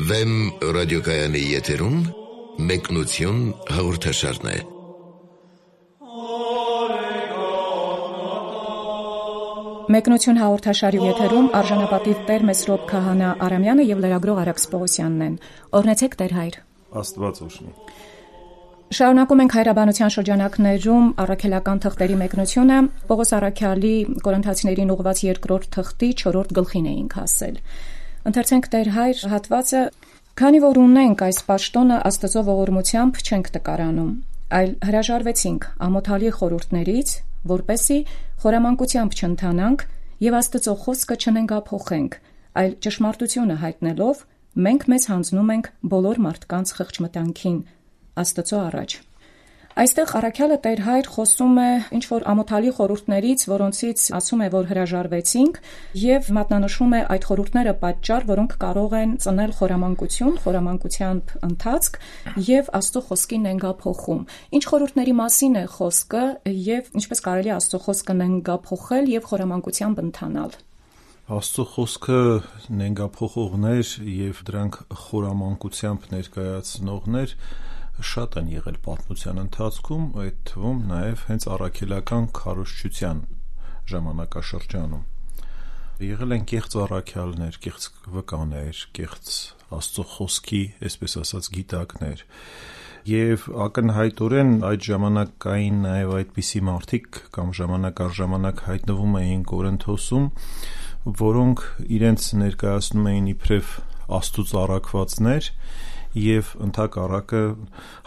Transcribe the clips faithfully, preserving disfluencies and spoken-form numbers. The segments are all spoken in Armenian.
Վեմ ռադիոկայանի եթերում մեկնություն հաղորդաշարն է։ Մեկնություն հաղորդաշարի եթերում արժանապատիվ Տեր Մեսրոպ Քահանա Արամյանը եւ լրագրող Արաքս Պողոսյանն են։ Օրհնեցեք Տեր հայր։ Աստված օրհնի։ Շարունակում ենք հայրաբանության շրջանակներում առաքելական թղթերի մեկնությունը։ Պողոս Առաքյալի Կորինթացիներին ուղված երկրորդ թղթի չորրորդ գլխին էինք հասել։ Ընթերցենք Տեր հայր հատվածը, քանի որ ունենք այս պաշտոնը Աստծո ողորմությամբ չենք տկարանում, այլ հրաժարվեցինք ամոթալի խորհուրդներից, որպեսզի խորամանկությամբ չընթանանք եւ Աստծո խոսքը չնենգափոխենք, այլ ճշմարտությունը հայտնելով մենք մեզ հանձնում ենք բոլոր մարդկանց խղճմտանքին Աստծո առաջ։ Այստեղ Առաքյալը Տեր հայր խոսում է ինչ-որ ամոթալի խորհուրդներից, որոնցից ասում է, որ հրաժարվեցինք եւ մատնանշում է այդ խորհուրդները պատճառ, որոնք կարող են ծնել խորամանկություն, խորամանկությամբ ընթացք եւ Աստծո խոսքի նենգափոխում։ Ինչ խորհուրդների մասին է խոսքը եւ ինչպես կարելի է Աստծո խոսքը նենգափոխել եւ խորամանկությամբ ընթանալ։ Աստծո խոսքը նենգափոխողներ եւ դրանք խորամանկությամբ ներկայացնողներ շատ են եղել պատմության ընթացքում, այդ թվում նաև հենց առաքելական քարոզչության ժամանակաշրջանում։ Եղել են կեղծ առաքյալներ, կեղծ վկաներ, կեղծ Աստծո խոսքի, այսպես ասած, գիտակներ։ Եվ ակնհայտորեն այդ ժամանակային նաև այդպիսի մարդիկ կամ ժամանակ առ ժամանակ հայտնվում էին Կորինթոսում, որոնք իրենց ներկայացնում էին իբրև Աստծուց առաքվածներ եւ ընդհակառակը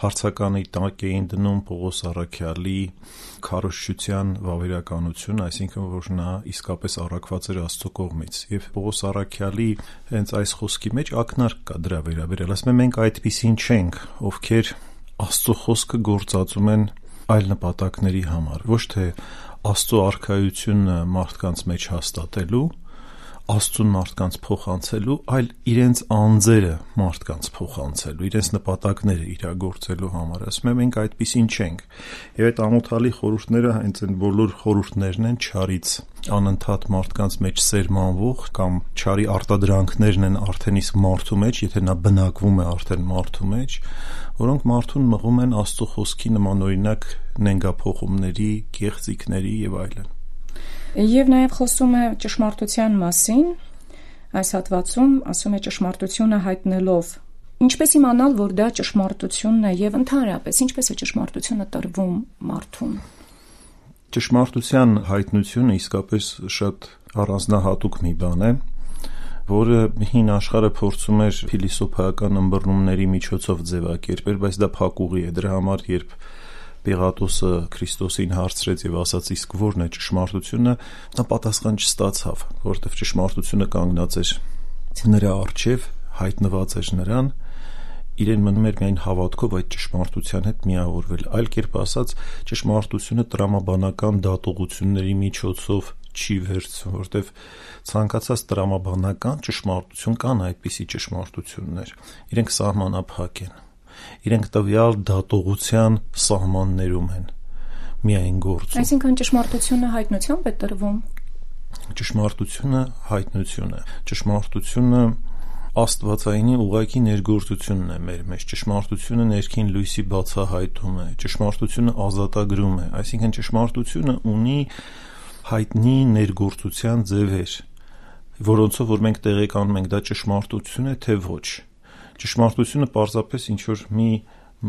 հարցականի տակ էին դնում Պողոս Առաքյալի քարոզչության վավերականությունը, այսինքն որ նա իսկապես առաքված էր Աստծո կողմից։ Եվ Պողոս Առաքյալի հենց այս խոսքի մեջ ակնարկ կա դրա վերաբերյալ, ասում է մենք այդպիսին չենք, ովքեր Աստծո խոսքը գործածում են այլ նպատակների համար, ոչ թե Աստծո արքայությունը մարդկանց մեջ հաստատելու, Աստծուն մարդկանց փոխանցելու, այլ իրենց անձերը մարդկանց փոխանցելու, իրենց նպատակները իրագործելու համար։ Ասում եմ, մենք այդպիսին չենք։ Եվ այդ ամոթալի խորհուրդները հենց այն բոլոր խորհուրդներն են չարից անընդհատ մարդկանց մեջ սերմանվող կամ չարի արտադրանքներն են արդեն իսկ մարդու մեջ, եթե նա բնակվում է արդեն մարդու մեջ, որոնք մարդուն մղում են Աստծո խոսքի նմանօրինակ նենգափոխումների, կեղծիքների եւ այլն։ Եվ նաև խոսում է ճշմարտության մասին, այս հատվածում ասում է ճշմարտությունը հայտնելով։ Ինչպես իմանալ, որ դա ճշմարտությունն է եւ ընդհանրապես ինչպես է ճշմարտությունը տրվում մարդուն։ Ճշմարտության հայտնությունը իսկապես շատ առանձնահատուկ մի բան է, որը հին աշխարհը փորձում էր փիլիսոփայական ըմբռնումների միջոցով ձևակերպել, բայց դա փակուղի է։ Դրա համար երբ Պիղատոսը Քրիստոսին հարցրեց եւ ասաց իսկ ո՞րն է ճշմարտությունը, նա պատասխան չստացավ, որովհետեւ ճշմարտությունը կանգնած էր նրա առջև, հայտնված էր նրան, իրեն մնում էր միայն հավատքով այդ ճշմարտության հետ միավորվել, այլ կերպ ասած, ճշմարտությունը տրամաբանական դատողությունների միջոցով չի վերցվում, որովհետեւ ցանկացած տրամաբանական ճշմարտություն կան այդպիսի ճշմարտություններ, իրենք սահմանափակ են։ Իրենք տվյալ դատողության սահմաններում են միայն գործում։ Այսինքն ճշմարտությունը հայտնությամբ է տրվում։ Ճշմարտությունը հայտնություն է։ Ճշմարտությունը աստվածայինի ուղղակի ներգործությունն է մեր մեջ։ Ճշմարտությունը ներքին լույսի բացահայտում է։ Ճշմարտությունը ազատագրում է։ Այսինքն ճշմարտությունը ունի հայտնի ներգործության ձևեր, որոնցով որ մենք տեղեկանում ենք դա ճշմարտություն է, թե ոչ։ Ճշմարտությունը պարզապես ինչ-որ մի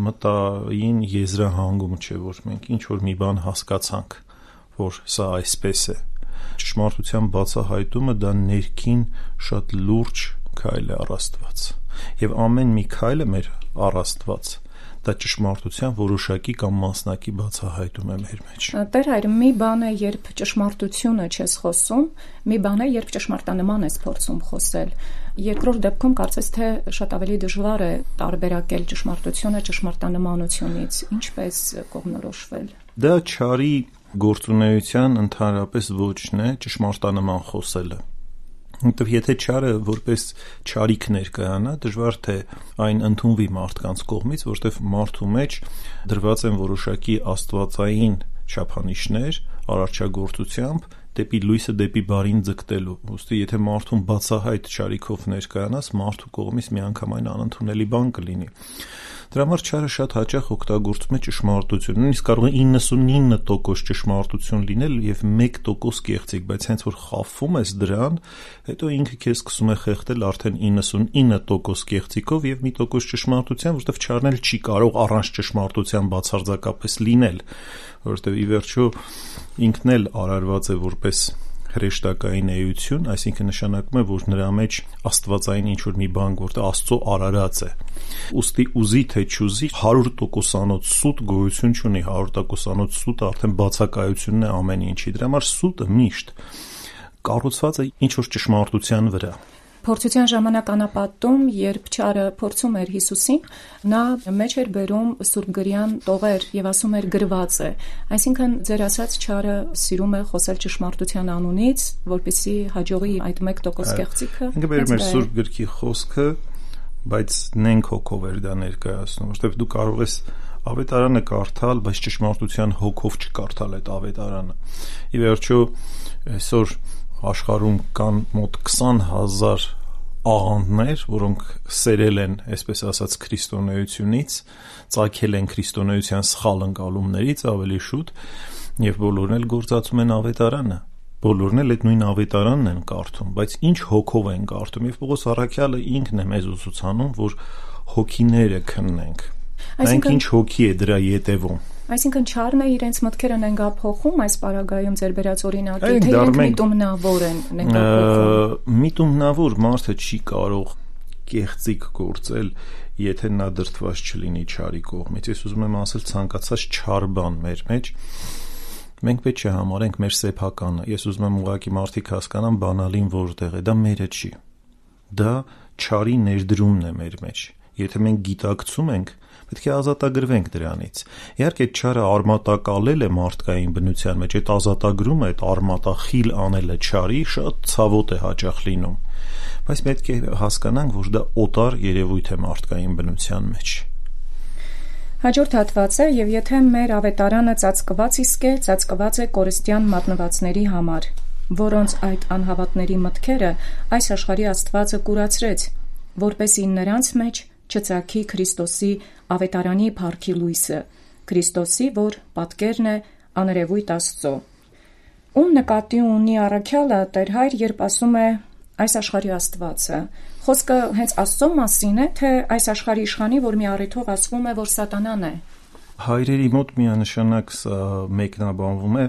մտային եզրահանգում չէ, որ մենք ինչ-որ մի բան հասկացանք, որ սա այսպես է։ Ճշմարտության բացահայտումը դա ներքին շատ լուրջ քայլ է առ Աստված։ Եվ ամեն մի քայլը մեր առ Աստված դա ճշմարտության որոշակի կամ մասնակի բացահայտում է մեր մեջ։ Տեր հայր, մի բան է, երբ ճշմարտությունը չես խոսում, մի բան է, երբ ճշմարտանման ես փորձում խոսել։ Երկրորդ դեպքում կարծես թե շատ ավելի դժվար է տարբերակել ճշմարտությունը ճշմարտանմանությունից։ Ինչպես կողմնորոշվել։ Դա չարի գործունեության ընդհանրապես ոչն է ճշմարտանման խոսելը։ Որտեւ եթե չարը որպես չարիք ներկայանա, դժվար թե այն ընդունվի մարդկանց կողմից, որտեւ մարդու մեջ դրված են որոշակի աստվածային չափանիշներ արարչագործությամբ դեպի լույսը, դեպի բարին ձգտելու։ Ուստի եթե մարդուն բացահայտ չարիքով ներկայանաս, մարդու կողմից միանգամայն անընդունելի բան կլինի։ Դրա համար չարը շատ հաճախ օգտագործում է ճշմարտություն։ Նույնիսկ կարող է իննսունինը տոկոս ճշմարտություն լինել եւ մեկ տոկոս կեղծիք, բայց հենց որ խաբվում ես դրան, հետո ինքը քեզ սկսում է խեղդել արդեն իննսունինը տոկոս կեղծիկով եւ մի տոկոս ճշմարտության, որովհետեւ չարն էլ չի կարող առանց ճշմարտության բացարձակապես լինել, որովհետեւ ի վերջո ինքն էլ արարված է որպես հրեշտակային էություն, այսինքն նշանակում է, որ նրա մեջ աստվածային ինչ-որ մի բան, որտեղ Աստծո արարած է։ Ուստի ուզի թե չուզի հարյուր տոկոսանոց սուտ գոյություն չունի, հարյուր տոկոսանոց սուտը արդեն բացակայությունն է ամեն ինչի։ Դրա համար սուտը միշտ կառուցված է ինչ-որ ճշմարտության վրա։ Փորձության ժամանակ անապատում, երբ չարը փորձում էր Հիսուսին, նա մեջ էր բերում սուրբգրյան տողեր եւ ասում էր գրված է։ Այսինքն ձեր ասած չարը սիրում է խոսել ճշմարտության անունից, որպեսզի հաջողի այդ մեկ տոկոս կեղծիքը։ Ինքը բերում էր սուրբ գրքի խոսքը, բայց նենք հոգով էր դա ներկայացնում, որովհետեւ դու կարող ես ավետարանը կարդալ, բայց ճշմարտության հոգով չկարդալ այդ ավետարանը։ Ի վերջո այսօր աշխարհում կան մոտ քսան հազար աղանդներ, որոնք սերել են, այսպես ասած, քրիստոնեությունից, ծագել են քրիստոնեության սխալ ընկալումներից ավելի շուտ, եւ բոլորն էլ գործածում են ավետարանը։ Բոլորն էլ այդ նույն ավետարանն են կարդում, բայց ինչ հոգով են կարդում, եւ Պողոս առաքյալը ինքն է մեզ ուսուցանում, որ հոգիները քննենք։ Մենք ինչ հոգի է դրա յետևում։ Այսինքն չարն է իրենց մտքերը նենգափոխում այս պարագայում ձեր բերած օրինակի, թե իրենք միտումնավոր են նենգափոխում։ Միտումնավոր մարդը չի կարող կեղծիք գործել, եթե նա դրդված չլինի չարի կողմից։ Ես ուզում եմ ասել ցանկացած չար բան մեր մեջ մենք պետք է համարենք մեր սեփականը։ Ես ուզում եմ ուղղակի մարդիկ հասկանան բանալին որտեղ է, դա մերը չի։ Դա չարի ներդրումն է մեր մեջ։ Եթե մենք գիտակցում ենք, պետք է ազատագրվենք դրանից։ Իհարկե չարը արմատակալել է մարդկային բնության մեջ, այդ ազատագրումը, այդ արմատախիլ անելը չարի շատ ցավոտ է հաճախ լինում։ Բայց պետք է հասկանանք, որ դա օտար երևույթ է մարդկային բնության մեջ։ Հաջորդ հատվածը, եւ եթե մեր ավետարանը ծածկված իսկ է, ծածկված է կորստյան մատնվածների համար, որոնց այդ անհավատների մտքերը այս աշխարհի Աստվածը կուրացրեց, որպեսզի նրանց մեջ չծագի Քրիստոսի ավետարանի փառքի լույսը, Քրիստոսի, որ պատկերն է աներևույթ Աստծո։ Ում նկատի ունի առաքյալը Տեր Հայր, երբ ասում է այս աշխարհի Աստվածը, խոսքը հենց Աստծո մասին է, թե այս աշխարհի իշխանի, որ մի առիթով ասվում է, որ Սատանան է։ Հայրերի մոտ միանշանակ սա մեկնաբանվում է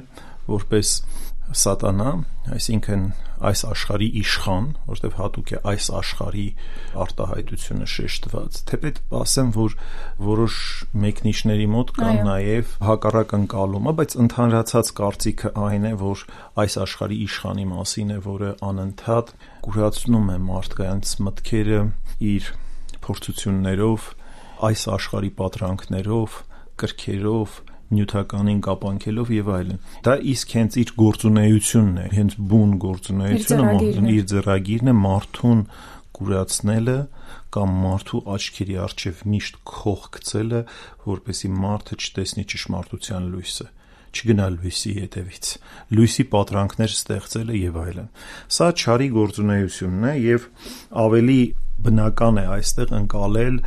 որպես Սատանա, այսինքն այս աշխարհի իշխան, որտեղ հատուկ է այս աշխարհի արտահայտությունը շեշտված։ Թեպետ ասեմ, որ որոշ մեկնիչների մոտ կան նաև հակառակ ընկալումը, բայց ընդհանրացած կարծիքը այն է, որ այս աշխարհի իշխանի մասին է, որը անընդհատ կուրացնում է մարդկանց մտքերը իր փորձություններով, այս աշխարհի պատրանքներով, կրքերով, նյութականին կապանքելով եւ այլն։ Դա իսկ հենց իր գործունեությունն է, հենց բուն գործունեությունը, իր ձեռագիրն է մարդուն կուրացնելը կամ մարդու աչքերի առջև միշտ քող գցելը, որպեսզի մարդը չտեսնի ճշմարտության լույսը, չգնա լույսի ետևից, լույսի պատրանքներ ստեղծելը եւ այլն։ Սա չարի գործունեությունն է եւ ավելի բնական է այստեղ ընկալել,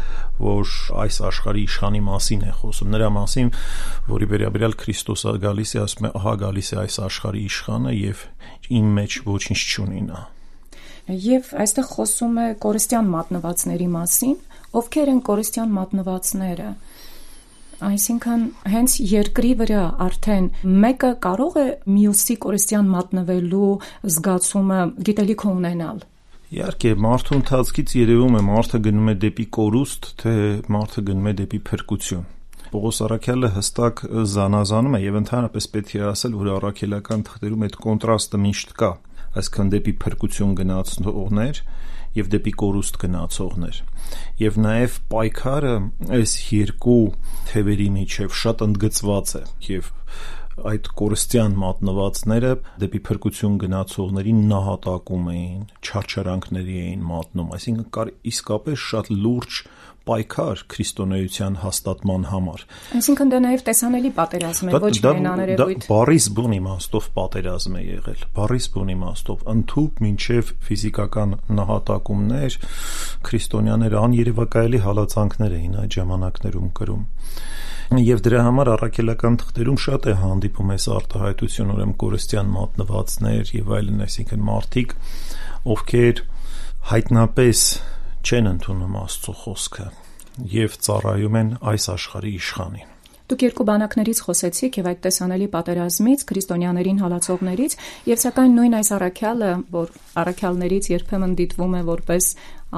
որ այս աշխարհի իշխանի մասին է խոսում, նրա մասին, որի վերաբերյալ Քրիստոսը գալիս է, ասում է, ահա գալիս է այս աշխարհի իշխանը եւ իմ մեջ ոչինչ չունի նա։ Եվ այստեղ խոսում է կորստյան մատնվածների մասին, ովքեր են կորստյան մատնվածները։ Այսինքն հենց երկրի վրա արդեն մեկը կարող է մյուսի կորստյան մատնվելու զգացումը գիտելիք ունենալ։ Իհարկե, մարդու ընթացքից երևում է մարդը գնում է դեպի կորուստ, թե մարդը գնում է դեպի փրկություն։ Պողոս առաքյալը հստակ զանազանում է եւ ընդհանրապես պետք է ասել, որ առաքելական թղթերում այդ կոնտրաստը միշտ կա, այսինքն դեպի փրկություն գնացողներ եւ դեպի կորուստ գնացողներ։ Եվ նաեւ պայքարը այս երկու թևերի միջև շատ ընդգծված է եւ այդ կորստյան մատնվածները դեպի փրկություն գնացողներին նահատակում էին, չարչարանքների էին մատնում, այսինքն կար իսկապես շատ լուրջ պայքար քրիստոնեության հաստատման համար։ Այսինքն դա նաև տեսանելի պատերազմ է, ոչ միայն աներևույթ։ Դա բառիս բուն իմաստով պատերազմ է եղել, բառիս բուն իմաստով ընդհուպ մինչև ֆիզիկական նահատակումներ, քրիստոնյաները աներևակայելի հալածանքներ էին այդ ժամանակներում կրում։ Եվ դրա համար առաքելական թղթերում շատ է հանդիպում այս արտահայտություն, ուրեմն կորստյան մատնվածներ եւ այլն, այսինքն մարդիկ, ովքեր հայտնապես չեն ընդունում Աստծո խոսքը եւ ծառայում են այս աշխարհի իշխանին։ Դուք երկու բանակներից խոսեցիք եւ այդ տեսանելի պատերազմից, քրիստոնյաներին հալածողներից, եւ սակայն նույն այս առաքյալը, որ առաքյալներից երբեմն դիտվում է որպես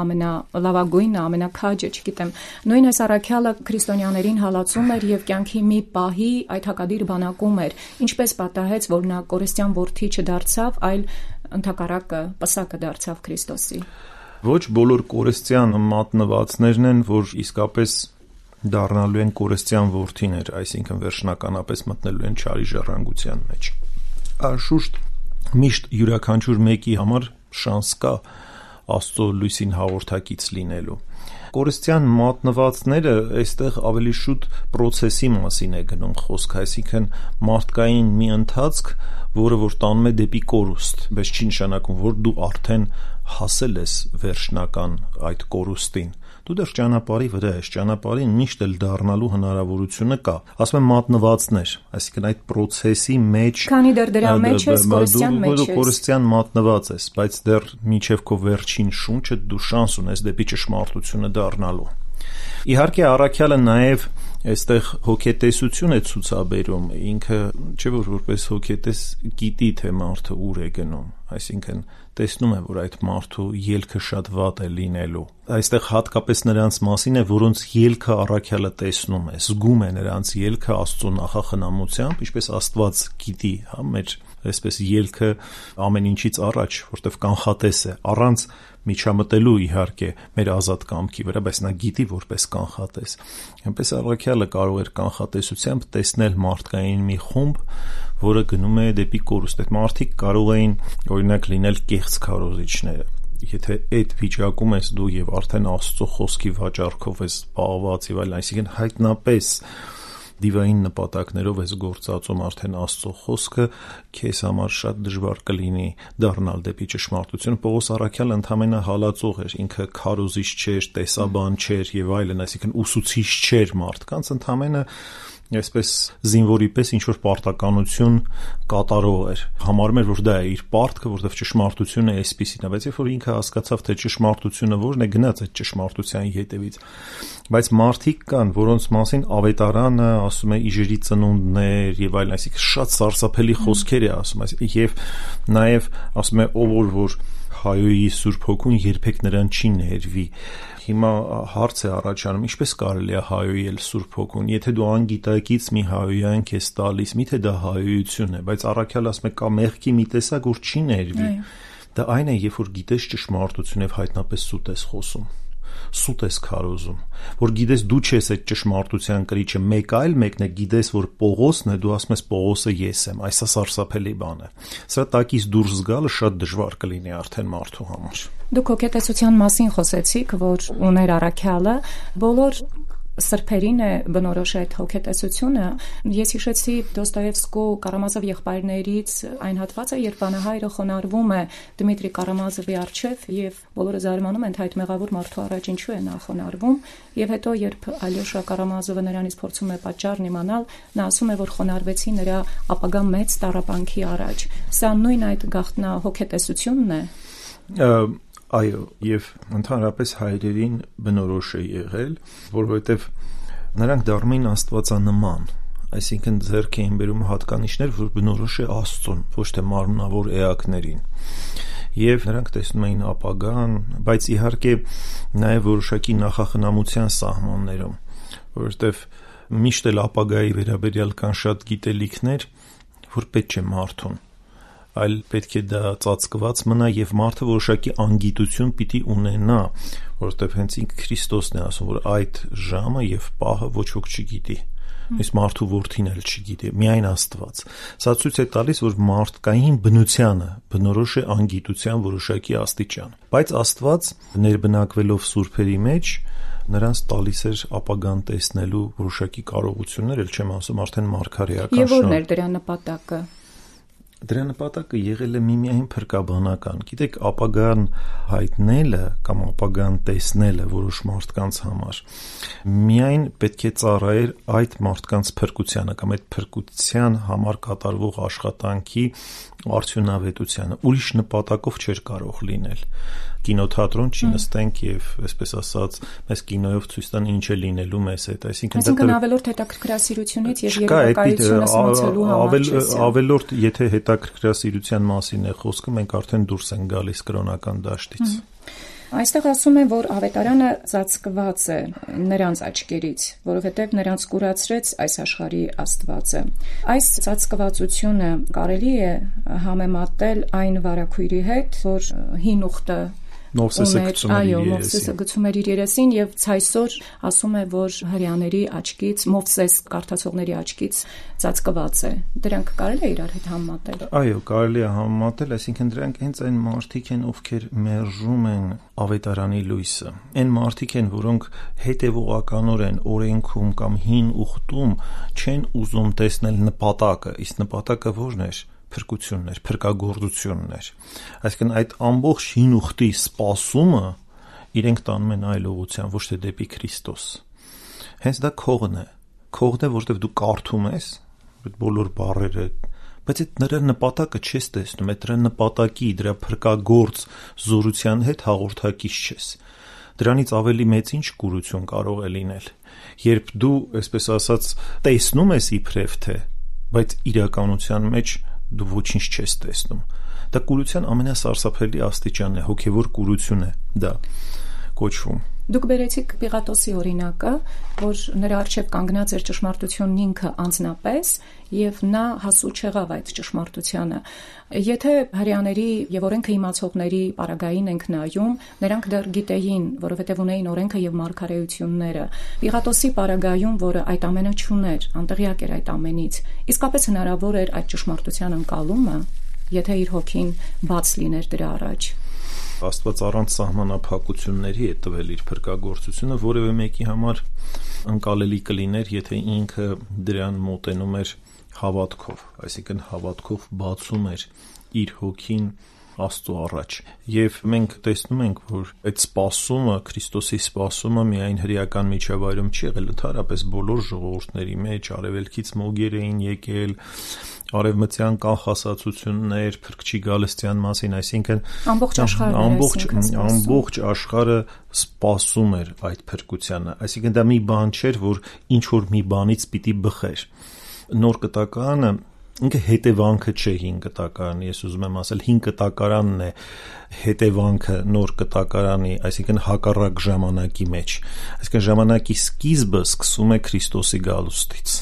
ամենալավագույնը, ամենաքաջը, չգիտեմ, նույն այս առաքյալը քրիստոնյաներին հալածում էր եւ կյանքի մի պահի այդ հակադիր բանակում էր, ինչպես պատահեց, որ նա կորստյան որդի չդարձավ, այլ ընդհակառակը պսակը դարձավ Քրիստոսի։ Ոչ բոլոր կորստյան մատնվածներն են, որ իսկապես դառնալու են կորստյան որդիներ, այսինքն վերջնականապես մտնելու են չարի ժառանգության մեջ։ Անշուշտ միշտ յուրաքանչյուր մեկի համար շանս կա Աստծո լույսին հաղորդակից լինելու։ Կորստյան մատնվածները այստեղ ավելի շուտ process-ի մասին է գնում խոսքը, այսինքն մարդկային մի ընթացք, որը որ տանում է դեպի կորուստ, բայց չի նշանակում, որ դու արդեն հասել ես վերջնական այդ կորուստին։ Դու դեռ ճանապարհի վրա ես, ճանապարհին միշտ էլ դառնալու հնարավորությունը կա։ Ասում եմ մատնվածներ, այսինքն այդ process-ի մեջ, քանի դեռ դրա մեջ ես, կորստյան մեջ ես, դու կորստյան մատնված ես, բայց դեռ մինչև քո վերջին շունչը դու շանս ունես դեպի ճշմարտությունը դառնալու։ Իհարկե առաքյալը նաև այստեղ հոգետեսություն է ցուցաբերում, ինքը չէ որ որպես հոգետես գիտի թե մարդը ուր է գնում, այսինքն տեսնում է, որ այդ մարդու ելքը շատ վատ է լինելու։ Այստեղ հատկապես նրանց մասին է, որոնց ելքը առաքյալը տեսնում է, զգում է նրանց ելքը Աստծո նախախնամությամբ, ինչպես Աստված գիտի, հա, մեր այսպես ելքը ամեն ինչից առաջ, որտեվ կանխատես է, առանց միջամտելու իհարկե մեր ազատ կամքի վրա, բայց նա գիտի որպես կանխատես։ Այնպես առաքյալը կարող էր կանխատեսությամբ տեսնել մարդկային մի խումբ, որը գնում է դեպի կորուստ։ Այդ մարդիկ կարող էին օրինակ լինել կեղծ քարոզիչները։ Եթե այդ վիճակում ես դու եւ արդեն Աստծո խոսքի վաճառքով ես պահված եւ այլն, այսինքն հայտնապես դիվային նպատակներով ես գործածում արդեն Աստծո խոսքը, քեզ համար շատ դժվար կլինի դառնալ դեպի ճշմարտություն։ Պողոս առաքյալը ընդամենը հալածող էր, ինքը քարոզիչ չէր, տեսաբան չէր եւ այլն, այսինքն ուսուցիչ չէր մարդկանց, ընդամենը այսպես զինվորի պես ինչ որ պարտականություն կատարող էր, համարում էր, որ դա է իր պարտքը, որտեղ ճշմարտությունը այսպիսին է, բայց երբ որ ինքը հասկացավ, թե ճշմարտությունը որն է, գնաց այդ ճշմարտության ետևից։ Բայց մարդիկ կան, որոնց մասին ավետարանը ասում է իժերի ծնունդներ եւ այլն, այսինքն շատ սարսափելի խոսքեր է ասում, եւ նաեւ ասում է ով որ որ հայոյի Սուրբ Հոգուն երբեք նրան չի ներվի։ Հիմա հարց է առաջանում, ինչպես կարելի է հայոյել Սուրբ Հոգուն, եթե դու անգիտակից մի հայոյանք ես տալիս, միթե դա հայոյություն է, բայց առաքյալ ասում է կա մեղքի մի տեսակ, որ չի ներվի։ Դա այն է, երբ որ գիտես ճշմարտություն եւ հայտնապես սուտ ես խոսում, սուտ ես քարոզում, որ գիտես դու չես այդ ճշմարտության կրիչը, մեկ այլ մեկն է գիտես, որ Պողոսն է, դու ասում ես Պողոսը ես եմ, այս է սարսափելի բան է։ Սա տակից դուրս գալը շատ դժվար կլինի արդեն մարդու համար։ Դուք հոգետեսության մասին խոսեցիք, որ ուներ առաքյալը, բոլոր սրբերին է բնորոշ այդ հոգետեսությունը։ Ես հիշեցի Դոստոևսկու Կարամազով եղբայրներից այն հատվածը, երբ բանահայրը խոնարհվում է Դմիտրի Կարամազովի առջև եւ բոլորը զարմանում են, թե այդ մեղավոր մարդու առաջ ինչու է նա խոնարհվում, եւ հետո երբ Ալյոշա Կարամազովը նրանից փորձում է պատճառն իմանալ, նա ասում է, որ խոնարհվեցի նրա ապագա մեծ տառապանքի առաջ։ Սա նույն այդ գաղտնա հոգետեսությունն է։ Այո, եւ ընդհանրապես հայրերին բնորոշ է եղել, որովհետեւ նրանք դառնում էին աստվածանման, այսինքն ձեռք էին բերում հատկանիշներ, որ բնորոշ է Աստծուն, ոչ թե մարմնավոր էակներին։ Եվ նրանք տեսնում էին ապագան, բայց իհարկե նաեւ որոշակի նախախնամության սահմաններում, որովհետեւ միշտ էլ ապագայի վերաբերյալ կան շատ գիտելիքներ, որ պետք չէ մարդուն, այլ պետք է դա ծածկված մնա եւ մարդը որոշակի անգիտություն պիտի ունենա, որովհետեւ հենց ինքը Քրիստոսն է ասում, որ այդ ժամը եւ պահը ոչ ոք չգիտի, Իսկ մարդու որդին էլ չգիտի, միայն Աստված։ Սա ցույց է տալիս, որ մարդկային բնությանը բնորոշ է անգիտության որոշակի աստիճան։ Բայց Աստված ներբնակվելով սուրբերի մեջ նրանց տալիս էր ապագան տեսնելու որոշակի կարողություններ, ել չեմ ասում արդեն մարգարեական։ Եվ որն էր դրա նպատակը։ Դրա նպատակը եղել է միմիայն փրկաբանական։ Գիտեք, ապագան հայտնելը կամ ապագան տեսնելը որոշ մարդկանց համար միայն պետք է ծառայեր այդ մարդկանց փրկությանը կամ այդ փրկության համար կատարվող աշխատանքի արդյունավետությանը։ Ուրիշ նպատակով չէր կարող լինել։ Կինոթատրոն չի նստենք եւ, այսպես ասած, մեզ կինոյով ցույց տան ինչ է լինելու մեզ հետ, այսինքն Այսինքն ավելորդ հետաքրքրասիրությունից եւ երևակայությունը սնուցելու համար չէ։ Ավելորդ, եթե հետաքրքրասիրության մասին է խոսքը, մենք արդեն դուրս ենք գալիս կրոնական դաշտից։ Այստեղ ասում են, որ ավետարանը ծածկված է նրանց աչքերից, որովհետև նրանց կուրացրեց այս աշխարհի Աստվածը։ Այս ծածկվածությունը կարելի է համեմատել այն վարագույրի հետ, որ հին ուխտը Մովսեսը գցում էր իր երեսին։ Այո, Մովսեսը գցում էր իր երեսին եւ ցայսօր ասում է, որ հрьяաների աչքից, Մովսես կարդացողների աչքից ծածկված է։ Դրանք կարելի է իրար հետ համեմատել։ Այո, կարելի է համեմատել, այսինքն դրանք հենց այն մարդիկ են, ովքեր մերժում են ավետարանի լույսը։ Այն մարդիկ են, որոնք հետևողականորեն օրենքում կամ հին ուխտում չեն ուզում տեսնել նպատակը, իսկ նպատակը ո՞րն էր։ Փրկությունն էր, փրկագործությունն էր։ Այսինքն այդ ամբողջ հին ուխտի սպասումը իրենք տանում են այլ ուղղության, ոչ թե դեպի Քրիստոս։ Հենց դա քողն է։ Քողն է, որտեղ դու կարդում ես այդ բոլոր բառերը, բայց այդ նրա նպատակը չես տեսնում, այդ դրա նպատակի, դրա փրկագործ զորության հետ հաղորդակից չես։ Դրանից ավելի մեծ ինչ կուրություն կարող է լինել, երբ դու, այսպես ասած, տեսնում ես իբրև թե, բայց իրականության մեջ դու ոչինչ չես տեսնում։ Դա կուրության ամենասարսափելի աստիճանն է, հոգևոր կուրություն է դա կոչվում։ Դուք բերեցիք Պիղատոսի օրինակը, որ նրա առջև կանգնած էր ճշմարտությունն ինքը անձնապես, եւ նա հասու չեղավ այդ ճշմարտությանը։ Եթե հрьяաների եւ օրենքը իմացողների պարագային ենք նայում, նրանք դեռ գիտեին, որովհետեւ ունեին օրենքը եւ մարգարեությունները։ Պիղատոսի պարագայում, որը այդ ամենը չուներ, անտեղյակ էր այդ ամենից, իսկապես հնարավոր էր այդ ճշմարտության ընկալումը, եթե իր հոգին բաց լիներ դրա առաջ։ Աստված առանց սահմանափակությունների է տվել իր փրկագործությունը, որևէ մեկի համար ընկալելի կլիներ, եթե ինքը դրան մոտենում էր հավատքով, այսինքն հավատքով բացում էր իր հոգին Աստծո առաջ։ Եվ մենք տեսնում ենք, որ այդ սպասումը, Քրիստոսի սպասումը միայն հրեական միջավայրում չի եղել, ընդհանրապես բոլոր ժողովուրդների մեջ արևելքից մոգեր էին եկել, արևմտյան կանխասացություններ, փրկչի գալստյան մասին, այսինքն ամբողջ աշխարհը ամբողջ ամբողջ աշխարհը սպասում էր այդ փրկությանը, այսինքն դա մի բան չէր, որ ինչ որ մի բանից պիտի բխեր։ Նոր կտակարանը ինքը հետևանքը չէ հին կտակարանի, ես ուզում եմ ասել հին կտակարանն է հետևանքը նոր կտակարանի, այսինքն հակառակ ժամանակի մեջ, այսինքն ժամանակի սկիզբը սկսում է Քրիստոսի գալուստից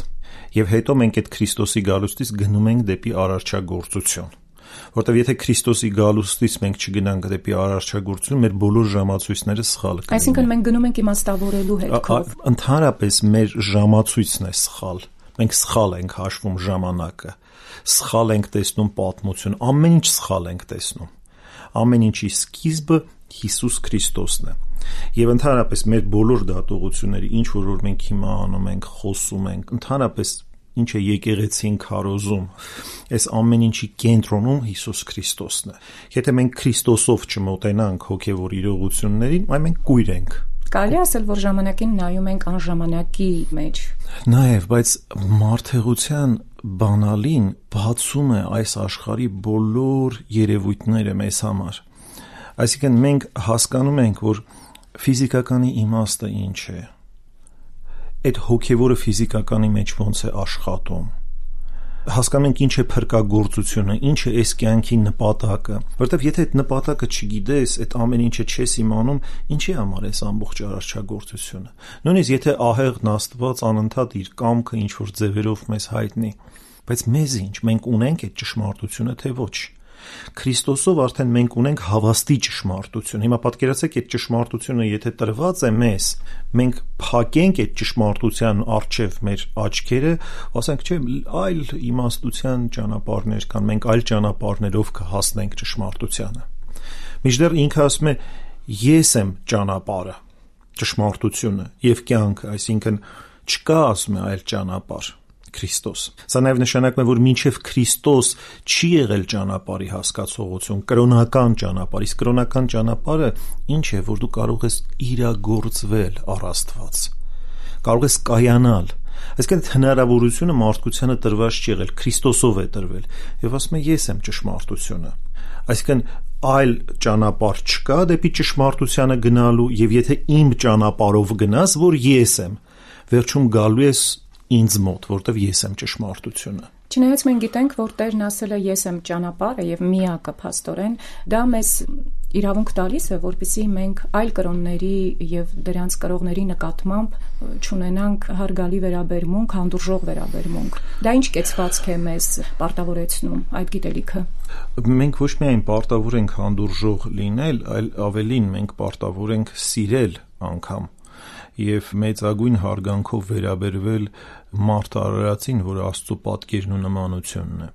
եւ հետո մենք այդ Քրիստոսի գալուստից գնում ենք դեպի արարչագործություն, որտեւ եթե Քրիստոսի գալուստից մենք չգնանք դեպի արարչագործություն, մեր բոլոր ժամացույցները սխալ կլինեն։ Այսինքն մենք գնում ենք իմաստավորելու հետքով։ Ընդհանրապես մեր ժամացույցն է սխալ։ Մենք սխալ ենք հաշվում ժամանակը, սխալ ենք տեսնում պատմություն, ամեն ինչ սխալ ենք տեսնում։ Ամեն ինչի սկիզբը Հիսուս Քրիստոսն է։ Եվ ընդհանրապես մեր բոլոր դատողությունները, ինչ որ մենք հիմա անում ենք, խոսում ենք, ընդհանրապես ինչ է եկեղեցին քարոզում, այս ամեն ինչի կենտրոնում Հիսուս Քրիստոսն է։ Եթե մենք Քրիստոսով չմոտենանք հոգևոր իրողություններին, այ մենք կույր ենք։ Կարելի ասել, որ ժամանակին նայում ենք անժամանակի մեջ։ Նաև, բայց մարդեղության բանալին բացում է այս աշխարհի բոլոր երևույթները մեզ համար։ Այսինքն մենք հասկանում ենք, որ ֆիզիկականի իմաստը ինչ է։ Այդ հոգևորը ֆիզիկականի մեջ ոնց է աշխատում։ Հասկանում ենք ինչ է փրկագործությունը, ինչ է այս կյանքի նպատակը, որովհետև եթե այդ նպատակը չգիտես, այդ ամեն ինչը չես իմանում, ինչի համար էս ամբողջ արարչագործությունը։ Նույնիսկ եթե ահեղն Աստված անընդհատ իր կամքը ինչ որ ձևերով մեզ հայտնի, բայց մեզ ինչ, մենք ունենք այդ ճշմարտությունը թե ոչ։ Քրիստոսով արդեն մենք ունենք հավաստի ճշմարտություն։ Հիմա պատկերացեք, այդ ճշմարտությունը եթե տրված է մեզ, մենք փակենք այդ ճշմարտության առջև մեր աչքերը, ասենք, չէ, այլ իմաստության ճանապարհներ կան, մենք այլ ճանապարհներով կհասնենք ճշմարտությանը։ Մինչդեռ ինքը ասում է, ես եմ ճանապարհը, ճշմարտությունը եւ կյանքը, այսինքն չկա, ասում է, այլ ճանապարհ, Քրիստոս։ Սա նաև նշանակում է, որ մինչև Քրիստոս չի եղել ճանապարհի հասկացողություն, կրոնական ճանապարհ, իսկ կրոնական ճանապարհը ինչ է, որ դու կարող ես իրագործվել առ Աստված, կարող ես կայանալ։ Այսինքն հնարավորությունը մարդկությանը տրված չի եղել, Քրիստոսով է տրվել, եւ ասում է, ես եմ ճշմարտությունը։ Այսինքն այլ ճանապարհ չկա դեպի ճշմարտությանը գնալու, եւ եթե իմ ճանապարհով գնաս, որ ես եմ, վերջում գալու ես ինձ մոտ, որտեվ ես եմ ճշմարտությունը։ Չնայած մենք գիտենք, որ Տերն ասել է ես եմ ճանապարհը եւ միակը փաստորեն, դա մեզ իրավունք տալիս է, որպեսզի մենք այլ կրոնների եւ դրանց կրողների նկատմամբ չունենանք հարգալի վերաբերմունք, հանդուրժող վերաբերմունք։ Դա ինչ կեցվածք է մեզ պարտավորեցնում այդ գիտելիքը։ Մենք ոչ միայն պարտավոր ենք հանդուրժող լինել, այլ ավելին մենք պարտավոր ենք սիրել անգամ եւ մեծագույն հարգանքով վերաբերվել մարդ արարածին, որ Աստծո պատկերն ու նմանությունն է։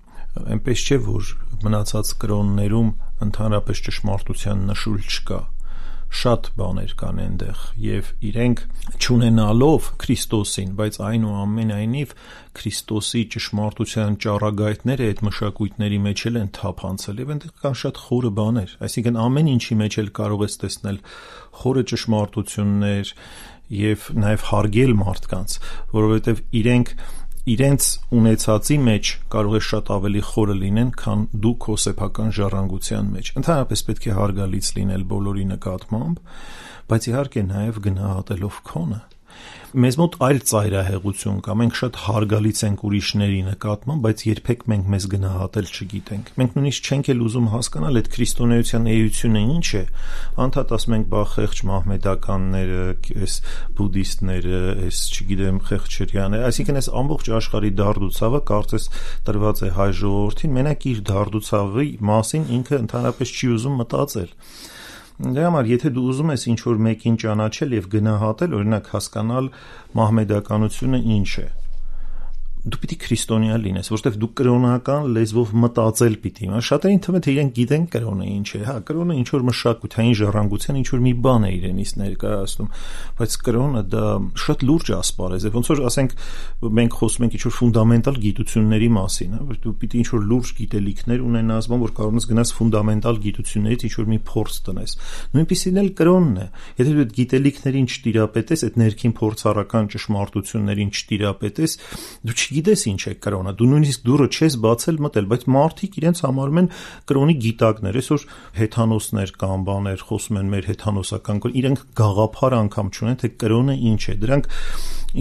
Այնպես չէ, որ մնացած կրոններում ընդհանրապես ճշմարտության նշույլ չկա։ Շատ բաներ կան այնտեղ եւ իրենք չունենալով Քրիստոսին, բայց այնուամենայնիվ Քրիստոսի ճշմարտության ճառագայթները այդ մշակույթների մեջ էլ են թափանցել եւ այնտեղ կան շատ խորը բաներ, այսինքն ամեն ինչի մեջ էլ կարող ես տեսնել խորը ճշմարտություններ եւ նաեւ հարգել մարդկանց, որովհետեւ իրենք իրենց ունեցածի մեջ կարող է շատ ավելի խորը լինեն, քան դու քո սեփական ժառանգության մեջ։ Ընդհանրապես պետք է հարգալից լինել բոլորի նկատմամբ, բայց իհարկե նաեւ գնահատելով քոնը։ Մեզ մոտ այլ ծայրահեղություն կա, մենք շատ հարգալից ենք ուրիշների նկատմամբ, բայց երբեք մենք մեզ գնահատել չգիտենք։ Մենք նույնիսկ չենք էլ ուզում հասկանալ այդ քրիստոնեության էությունը ինչ է։ Անդադ ասում ենք, բա խեղճ մահմեդականները, այս բուդդիստները, այս չգիտեմ, խեղճերյաները, այսինքն այս ամբողջ աշխարհի դարդուցավը կարծես տրված է հայ ժողովրդին, մենակ իր դարդուցավի մասին ինքը ընդհանրապես չի ուզում մտածել։ Դրա համար, եթե դու ուզում ես ինչ-որ մեկին ճանաչել եւ գնահատել, օրինակ հասկանալ մահմեդականությունը ինչ է, դու պիտի քրիստոնյա լինես, որովհետև դու կրոնական լեզվով մտածել պիտի իմանաս։ Շատերին թվում է, թե իրենք գիտեն կրոնը ինչ է, հա, կրոնը ինչ որ մշակութային ժառանգության ինչ որ մի բան է իրենից ներկայացնում, բայց կրոնը դա շատ լուրջ ասպարեզ է, ոնց որ ասենք մենք խոսում ենք ինչ որ ֆունդամենտալ գիտությունների մասին, հա, դու պիտի ինչ որ լուրջ գիտելիքներ ունենաս, բան որ կարող ես գնաս ֆունդամենտալ գիտություններից ինչ որ մի փորձ տնես։ Նույնիսկ էլ կրոնն է, եթե դու այդ գիտելիքներին չտիրապետես, այդ ներքին փորձառական ճշմարտություններին չտիրապետես, դու գիտես ինչ է կրոնը, դու նույնիսկ դուրը չես բացել մտել, բայց մարդիկ իրենց համարում են կրոնի գիտակներ, այսօր հեթանոսներ կան, բաներ խոսում են մեր հեթանոսական կրոն, իրենք գաղափար անգամ չունեն, թե կրոնը ինչ է, դրանք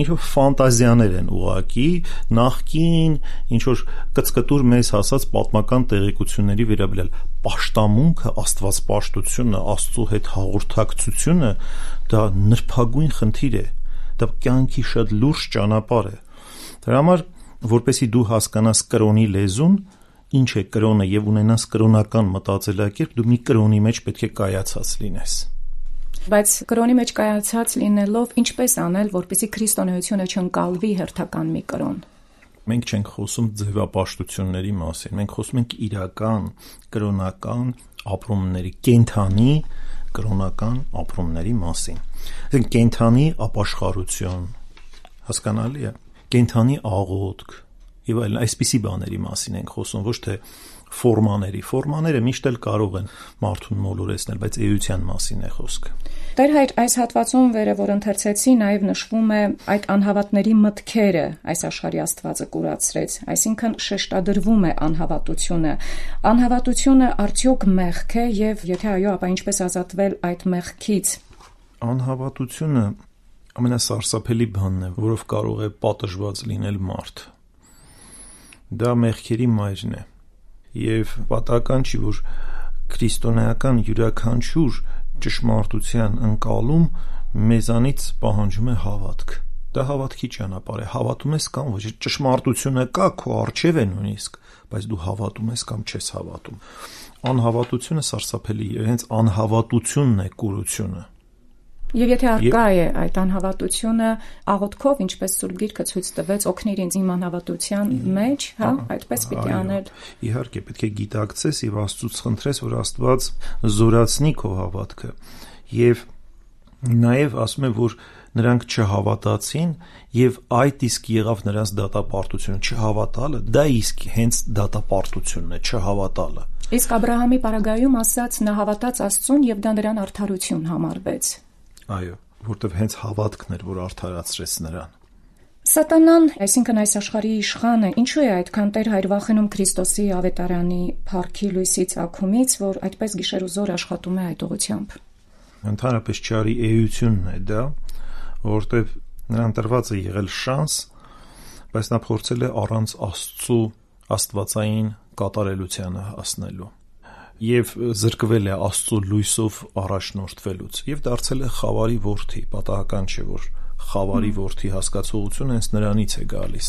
ինչ-որ ֆանտազիաներ են ուղղակի, նախքին ինչ-որ կծկտուր մեզ հասած պատմական տեղեկությունների վերաբերյալ պաշտամունքը, աստվածպաշտությունը, Աստծո հետ հաղորդակցությունը, դա նրբագույն խնդիր է, դա կյանքի շատ լուրջ ճանապարհ է։ Դրա համար, որպեսզի դու հասկանաս կրոնի լեզուն, ինչ է կրոնը եւ ունենաս կրոնական մտածելակերպ, դու մի կրոնի մեջ պետք է կայացած լինես։ Բայց կրոնի մեջ կայացած լինելով ինչպես անել, որպեսզի քրիստոնեությունը չընկալվի հերթական մի կրոն։ Մենք չենք խոսում ձևապաշտությունների մասին, մենք խոսում ենք իրական կրոնական ապրումների, կենթանի կրոնական ապրումների մասին։ Այսինքն կենթանի ապաշխարություն, հասկանալի է, կենթանի աղոթք եւ այլն, այսպիսի բաների մասին ենք խոսում, ոչ թե ֆորմաների։ Ֆորմաները միշտ էլ կարող են մարդուն մոլորեցնել, բայց էության մասին է խոսքը։ Տեր հայր, այս հատվածում վերը, որ ընթերցեցի, նաև նշվում է այդ անհավատների մտքերը այս աշխարհի Աստվածը կուրացրեց, այսինքն շեշտադրվում է անհավատությունը։ Անհավատությունը արդյոք մեղք է եւ եթե այո, ապա ինչպես ազատվել այդ մեղքից։ Անհավատությունը ամենասարսափելի բանն է, որով կարող է պատժված լինել մարդ։ Դա մեղքերի մայրն է։ Եվ պատահական չի, որ քրիստոնեական յուրաքանչյուր ճշմարտության ընկալում մեզանից պահանջում է հավատք։ Դա հավատքի ճանապարհ է, հավատում ես կամ ոչ, ճշմարտությունը կա, քո առջև է նույնիսկ, բայց դու հավատում ես կամ չես հավատում։ Անհավատությունը սարսափելի է, հենց անհավատությունն է կուրությունը։ Եվ եթե արկա է այդ անհավատությունը աղոթքով, ինչպես Սուրբ Գիրքը ցույց տվեց, օգնիր ինձ իմ անհավատության մեջ, հա, այդպես պիտի անել։ Իհարկե, պետք է գիտակցես եւ Աստծուց խնդրես, որ Աստված զորացնի քո հավատքը։ Եվ նաեւ ասում է, որ նրանք չհավատացին եւ այդ իսկ եղավ նրանց դատապարտությունը, չհավատալը, դա իսկ հենց դատապարտությունն է, չհավատալը։ Իսկ Աբրահամի պարագայում ասած նա հավատաց Աստծուն եւ դա նրան արդարություն համարվեց։ Այո, որտեվ հենց հավատքն էր, որ արդարացրեց նրան։ Սատանան, այսինքն այս աշխարհի իշխանը, ինչու է այդքան Տեր Հայր վախենում Քրիստոսի ավետարանի փառքի լույսի ծագումից, որ այդպես գիշեր ու զոր աշխատում է այդ ուղղությամբ։ Ընդհանրապես չարի էությունն է դա, որտեվ նրան տրված է եղել շանս, բայց նա փորձել է առանց Աստծու աստվածային կատարելությանը հասնելու եւ զրկվել է Աստծո լույսով առաջնորդվելուց եւ դարձել է խավարի որդի, պատահական չէ, որ խավարի որդի հասկացողությունը հենց նրանից է գալիս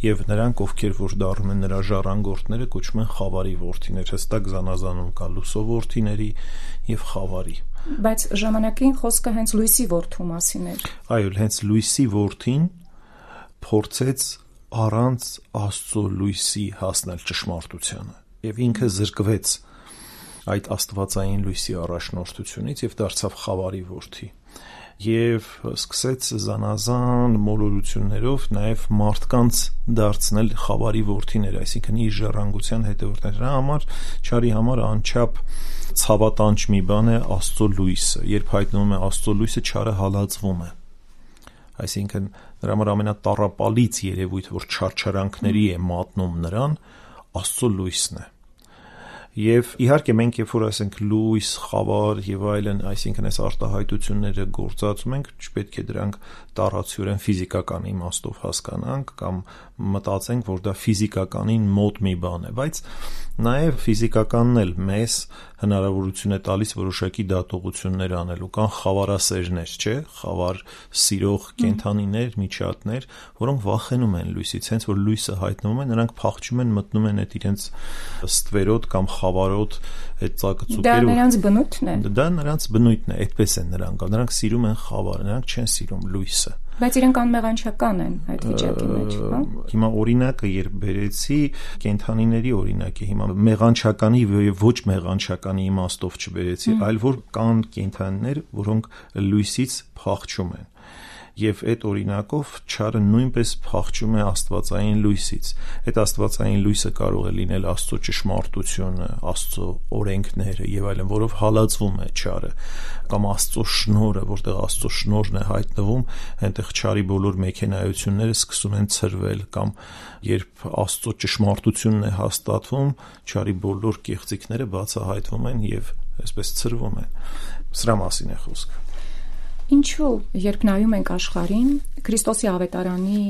եւ նրանք, ովքեր որ դառնում են նրա ժառանգորդները, կոչվում են խավարի որդիներ, հստակ զանազանում կա լուսո որդիների եւ խավարի։ Բայց ժամանակին խոսքը հենց լույսի որդու մասին էր։ Այո, հենց լույսի որդին փորձեց առանց Աստծո լույսի հասնել ճշմարտությանը եւ ինքը զրկվեց այդ աստվածային լույսի առաջնորդությունից եւ դարձավ խավարի որդի եւ սկսեց զանազան մոլորություններով նաեւ մարդկանց դարձնել խավարի որդիներ, այսինքն իր ժառանգության հետևորդներ։ Դրա համար չարի համար անչափ ցավատանջ մի բան է Աստծո լույսը, երբ հայտնվում է Աստծո լույսը, չարը հալածվում է, այսինքն նրա համար ամենատառապալից երևույթը, որ չարչարանքների է մատնում նրան, Աստծո լույսն է։ Եվ իհարկե մենք երբ որ ասենք լույս, խավար եւ այլն, այսինքն այս արտահայտությունները գործածում ենք, չպետք է դրանք տարածյորեն ֆիզիկական իմաստով հասկանանք կամ մտածենք, որ դա ֆիզիկականին մոտ մի բան է, բայց նաեւ ֆիզիկականն էլ մեզ հնարավորություն է տալիս որոշակի դատողություններ անելու, կան խավարասերներ, չէ՞, խավար սիրող կենդանիներ, միջատներ, որոնք վախենում են լույսից, հենց որ լույսը հայտնվում է, նրանք փախչում են, մտնում են այդ իրենց ստվերոտ կամ խավարոտ այդ ծակծուկերով։ Դա նրանց բնույթն է։ Դա նրանց բնույթն է, այդպես են նրանք, նրանք սիրում են խավարը, նրանք չեն սիրում լույսը։ Բայց իրենք անմեղանչական են այդ վիճակի մեջ, հա։ Հիմա օրինակը երբ բերեցի, կենդանիների օրինակ է, հիմա մեղանչականի եւ ոչ մեղանչականի իմաստով չբերեցի, այլ որ կան կենդանիներ, որոնք լույսից փախչում են։ Եվ այդ օրինակով չարը նույնպես փախչում է աստվածային լույսից։ Այդ աստվածային լույսը կարող է լինել Աստծո ճշմարտությունը, Աստծո օրենքները եւ այլն, որով հալածվում է չարը, կամ Աստծո շնորհը, որտեղ Աստծո շնորհն է հայտնվում, այնտեղ չարի բոլոր մեքենայությունները սկսում են ցրվել, կամ երբ Աստծո ճշմարտությունն է հաստատվում, չարի բոլոր կեղծիքները բացահայտվում են եւ այսպես ցրվում են։ Սրա մասին է խոսքը։ Ինչու, երբ նայում ենք աշխարհին, Քրիստոսի ավետարանի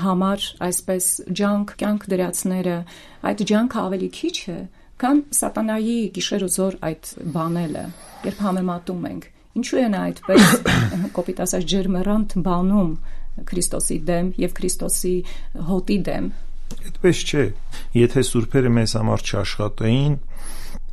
համար այսպես ջանք կյանք դրածները, այդ ջանքը ավելի քիչ է, քան սատանայի գիշեր ու զոր այդ բանելը, երբ համեմատում ենք։ Ինչու է նա այդպես կոպիտ ասած ջերմեռանդ բանում Քրիստոսի դեմ եւ Քրիստոսի հոտի դեմ։ Այդպես չէ։ Եթե սուրբերը մեզ համար չաշխատեին,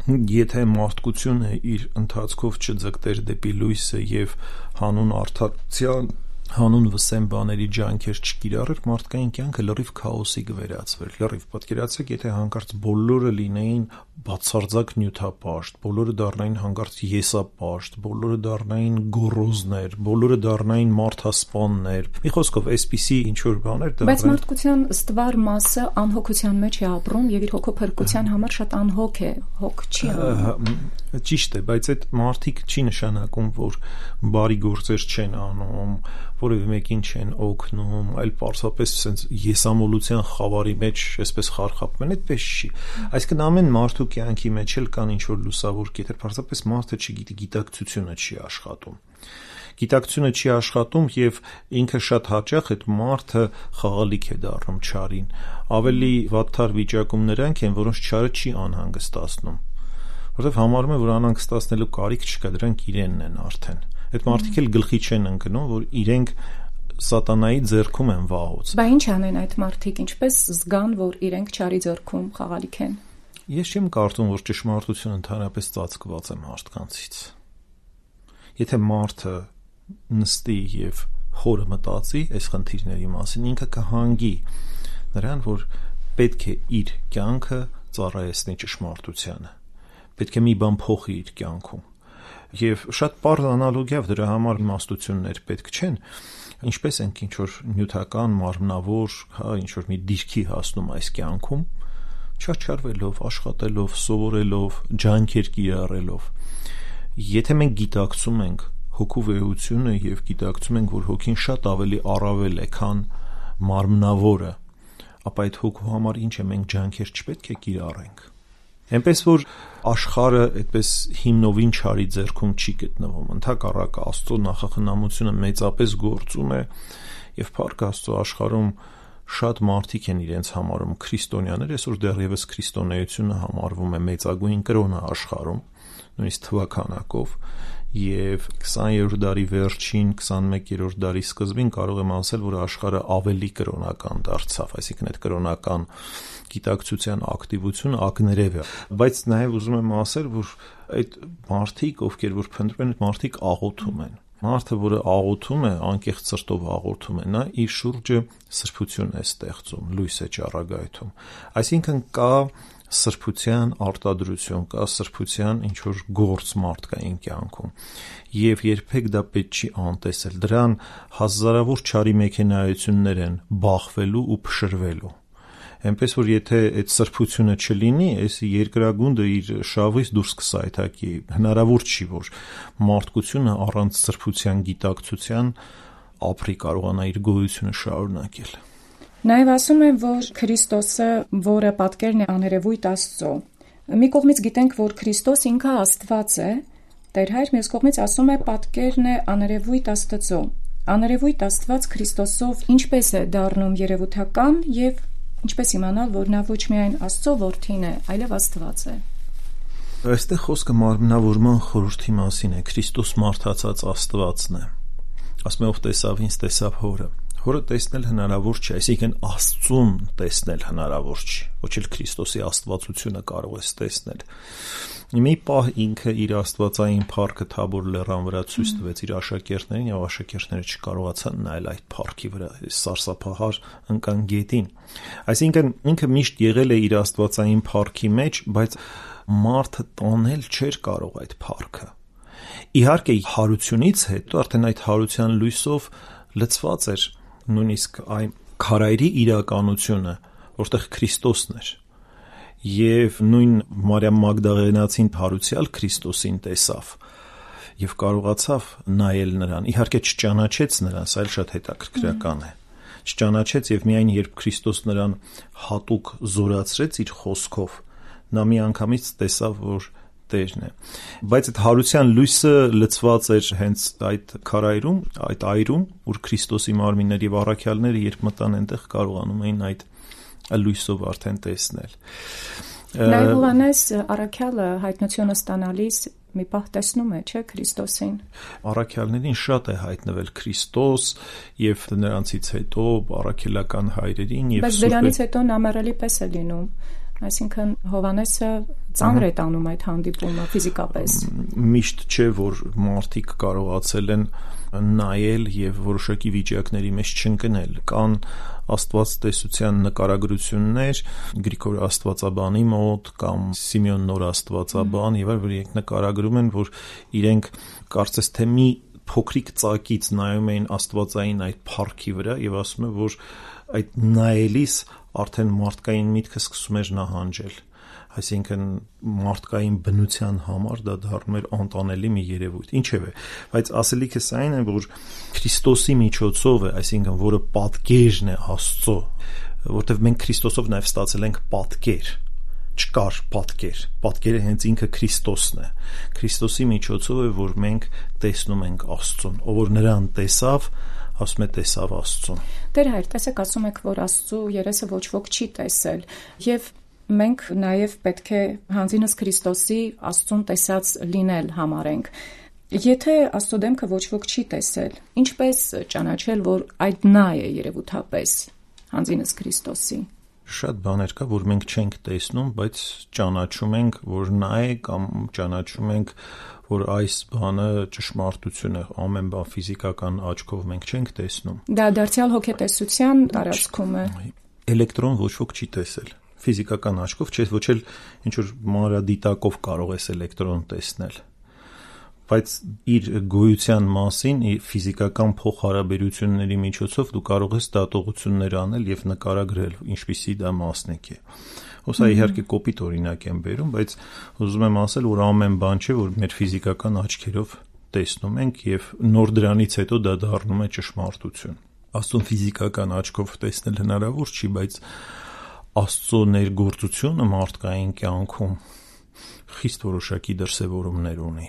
եթե մարդկությունը իր ընթացքով չձգտեր դեպի լույսը եւ հանուն արդարության, հանուն վսեմ բաների ջանքեր չկիրառեր, մարդկային կյանքը լրիվ քաոսի կվերածվեր։ Լրիվ պատկերացրեք, եթե հանկարծ բոլորը լինեին բացարձակ նյութապաշտ, բոլորը դառնային հանկարծ եսապաշտ, բոլորը դառնային գոռոզներ, բոլորը դառնային մարդասպաններ։ Մի խոսքով, այսպիսի ինչ որ բաներ դա։ Բայց մարդկության ստվար մասը անհոգության մեջ է ապրում եւ իր հոգոփրկության համար շատ անհոգ է, հոգ չի անում։ Ճիշտ է, բայց այդ մարդիկ չի նշանակում, որ բարի գործեր չեն անում, որևէ մեկին չեն օգնում, այլ պարզապես sense եսամոլության խավարի մեջ այսպես խարխապում են, այդպես չի։ Այսինքն ամեն մարդու կյանքի մեջ էլ կան ինչ որ լուսավոր կետեր, պարզապես մարդը չգիտի, գիտակցությունը չի աշխատում։ Գիտակցությունը չի աշխատում եւ ինքը շատ հաճախ այդ մարդը խաղալիք է դառնում չարին։ Ավելի վատթար վիճակում նրանք են, որոնց չարը չի անհանգստացնում, որովհետեւ համարում է, որ անհանգստացնելու կարիք չկա, դրանք իրենն են արդեն։ Այդ մարդիկ էլ գլխի չեն ընկնում, որ իրենք սատանայի ձեռքում են վաղուց։ Բա ինչ անեն այդ մարդիկ, ինչպես զգան, որ իրենք չարի ձեռքում խաղալիք են։ Ես չեմ կարծում, որ ճշմարտությունը ընդհանրապես ծածկված է մարդկանցից։ Եթե մարդը նստի եւ խորը մտածի այս խնդիրների մասին, ինքը կհանգի նրան, որ պետք է իր կյանքը ծառայեցնի ճշմարտությանը։ Պետք է մի բան փոխի իր կյանքում։ Եվ շատ պարզ անալոգիա դրա համար իմաստություններ պետք չեն, ինչպես ենք ինչ որ նյութական, մարմնավոր, հա, ինչ որ մի դիրքի հասնում այս կյանքում, չարչարվելով, աշխատելով, սովորելով, ջանքեր կիրառելով։ Եթե մենք գիտակցում ենք հոգու վեհությունը եւ գիտակցում ենք, որ հոգին շատ ավելի առավել է, քան մարմնավորը, ապա այդ հոգու համար ինչ է, մենք ջանքեր չպետք է կիրառենք։ Այնպես որ աշխարհը այդպես հիմնովին չարի ձեռքում չի գտնվում, ընդհակառակը Աստծո նախախնամությունը մեծապես գործում է եւ փառք Աստծո աշխարհում շատ մարդիկ են իրենց համարում քրիստոնյաներ, այսօր դեռևս քրիստոնեությունը համարվում է մեծագույն կրոնը աշխարհում, նույնիսկ թվականակով, եւ քսաներորդ դարի վերջին, քսանմեկերորդ դարի սկզբին կարող եմ ասել, որ աշխարհը ավելի կրոնական դարձավ, այսինքն այդ կրոնական գիտակցության ակտիվությունը ակներև է, բայց նաև ուզում եմ ասել, որ այդ մարդիկ, ովքեր որ փնտրում են, այդ մարդիկ աղոթում են։ Մարդը, որը աղոթում է, անկեղծ սրտով աղոթում է, նա իր շուրջը սրբություն է ստեղծում, լույս է ճառագայթում։ Այսինքն կա սրբության արտադրություն, կա սրբության ինչ որ գործ մարդկային կյանքում, եւ երբեք դա պետք չի անտեսել։ Դրան հազարավոր չարի մեքենայություններ են բախվելու ու փշրվելու։ Այնպես որ եթե այդ սրբությունը չլինի, այս երկրագունդը իր շավից դուրս կսայթակի, հնարավոր չի, որ մարդկությունը առանց սրբության գիտակցության ապրի, կարողանա իր գոյությունը շարունակել։ Նաև ասում են, որ Քրիստոսը, որը պատկերն է աներևույթ Աստծո, մի կողմից գիտենք, որ Քրիստոս ինքը Աստված է, Տեր Հայր, մյուս կողմից ասում է պատկերն է աներևույթ Աստծո։ Աներևույթ Աստված Քրիստոսով ինչպես է դառնում երևութական եւ ինչպես իմանալ, որ նա ոչ միայն Աստծո որդին է, այլև Աստված է։ Այստեղ խոսքը մարմնավորման խորհրդի մասին է, Քրիստոս մարդացած Աստվածն է։ Ասում է, ով տեսավ ինձ, տեսավ Հորը։ Հորը տեսնել հնարավոր չէ, այսինքն Աստծուն տեսնել հնարավոր չի, ոչ էլ Քրիստոսի աստվածությունը կարող ես տեսնել։ Մի պահ ինքը իր աստվածային փառքը Թաբոր լեռան վրա ցույց տվեց իր աշակերտներին, եւ աշակերտները չկարողացան նայել այդ փառքի վրա, սարսափահար ընկան գետին։ Այսինքն ինքը միշտ եղել է իր աստվածային փառքի մեջ, բայց մարդը տանել չէր կարող այդ փառքը։ Իհարկե հարությունից հետո արդեն այդ հարության լույսով լցված էր նույնիսկ այն քարայրի իրականությունը, որտեղ Քրիստոսն էր, եւ նույն Մարիամ Մագդաղենացին հարուցյալ Քրիստոսին տեսավ եւ կարողացավ նայել նրան, իհարկե չճանաչեց նրան, սա էլ շատ հետաքրքրական է, չճանաչեց եւ միայն երբ Քրիստոս նրան հատուկ զորացրեց իր խոսքով, նա մի անգամից տեսավ, որ Տերն է, բայց այդ հարության լույսը լցված էր հենց այդ քարայրում, այդ այրում, որ Քրիստոսի մարմինները եւ առաքյալները երբ մտան այնտեղ կարողանում էին այդ լույսով արդեն տեսնել։ Նաև Հովհաննես առաքյալը հայտնությունը ստանալիս մի պահ տեսնում է, չէ՞, Քրիստոսին։ Առաքյալներին շատ է հայտնվել Քրիստոս եւ նրանցից հետո առաքելական հայրերին եւ բայց դրանից հետո նամերելի պես է լինում։ Այսինքն Հովհաննեսը ծանր է տանում այդ հանդիպումը ֆիզիկապես։ Միշտ չէ, որ մարդիկ կարողացել են նայել եւ որոշակի վիճակների մեջ չընկնել։ Կան աստվածտեսության նկարագրություններ Գրիգոր Աստվածաբանի մոտ կամ Սիմեոն Նոր Աստվածաբան եւ այլ, որ իրենք նկարագրում են, որ իրենք կարծես թե մի փոքրիկ ծակից նայում էին աստվածային այդ փառքի վրա եւ ասում են, որ այդ նայելիս արդեն մարդկային միտքը սկսում էր նահանջել, այսինքն մարդկային բնության համար դա դառնում էր անտանելի մի երևույթ, ինչևէ, բայց ասելիքս այն է, որ Քրիստոսի միջոցով է, այսինքն որը պատկերն է Աստծո, որտեղ մենք Քրիստոսով նաև ստացել ենք պատկեր, չկար պատկեր, պատկերը հենց ինքը Քրիստոսն է, Քրիստոսի միջոցով է, որ մենք տեսնում ենք Աստծուն, ով որ նրան տեսավ, ասում է տեսավ Աստծուն։ Տեր Հայր, տեսեք, ասում եք, որ Աստծու երեսը ոչ ոք չի տեսել, եւ մենք նաև պետք է հանձինս Քրիստոսի Աստծուն տեսած լինել համարենք։ Եթե Աստծո դեմքը ոչ ոք չի տեսել, ինչպես ճանաչել, որ այդ նա է երևութապես հանձինս Քրիստոսի։ Շատ բաներ կա, որ մենք չենք տեսնում, բայց ճանաչում ենք, որ նա է, կամ ճանաչում ենք, որ այս բանը ճշմարտություն է, ամեն բան ֆիզիկական աչքով մենք չենք տեսնում։ Դա դարձյալ հոգետեսության տարածքում է։ Էլեկտրոն ոչ ոք չի տեսել։ Ֆիզիկական աչքով չէ, ոչ էլ ինչ որ մանրադիտակով կարող ես էլեկտրոն տեսնել։ Բայց իր գոյության մասին ֆիզիկական փոխհարաբերությունների միջոցով դու կարող ես դատողություններ անել եւ նկարագրել, ինչպիսի դա մասնիկ է։ Հոսա իհարկե կոպիտ օրինակ եմ բերում, բայց ուզում եմ ասել, որ ամեն բան չէ, որ մեր ֆիզիկական աչքերով տեսնում ենք եւ նոր դրանից հետո դա դառնում է ճշմարտություն։ Աստծո ֆիզիկական աչքով տեսնել հնարավոր չի, բայց Աստծո ներգործությունը մարդկային կյանքում խիստ որոշակի դրսևորումներ ունի։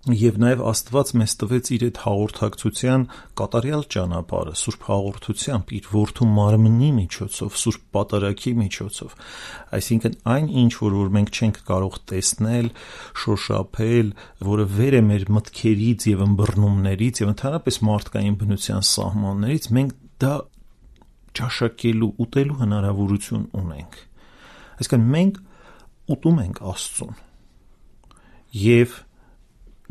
Եվ նաև Աստված մեզ տվեց իր այդ հաղորդակցության կատարյալ ճանապարհը, սուրբ հաղորդությամբ, իր որդու մարմնի միջոցով, սուրբ պատարագի միջոցով։ Այսինքն այն ինչ որ որ մենք չենք կարող տեսնել, շոշափել, որը վեր է մեր մտքերից եւ ըմբռնումներից եւ ընդհանրապես մարդկային բնության սահմաններից, մենք դա ճաշակելու, ուտելու հնարավորություն ունենք։ Այսինքն մենք ուտում ենք Աստծուն։ Եվ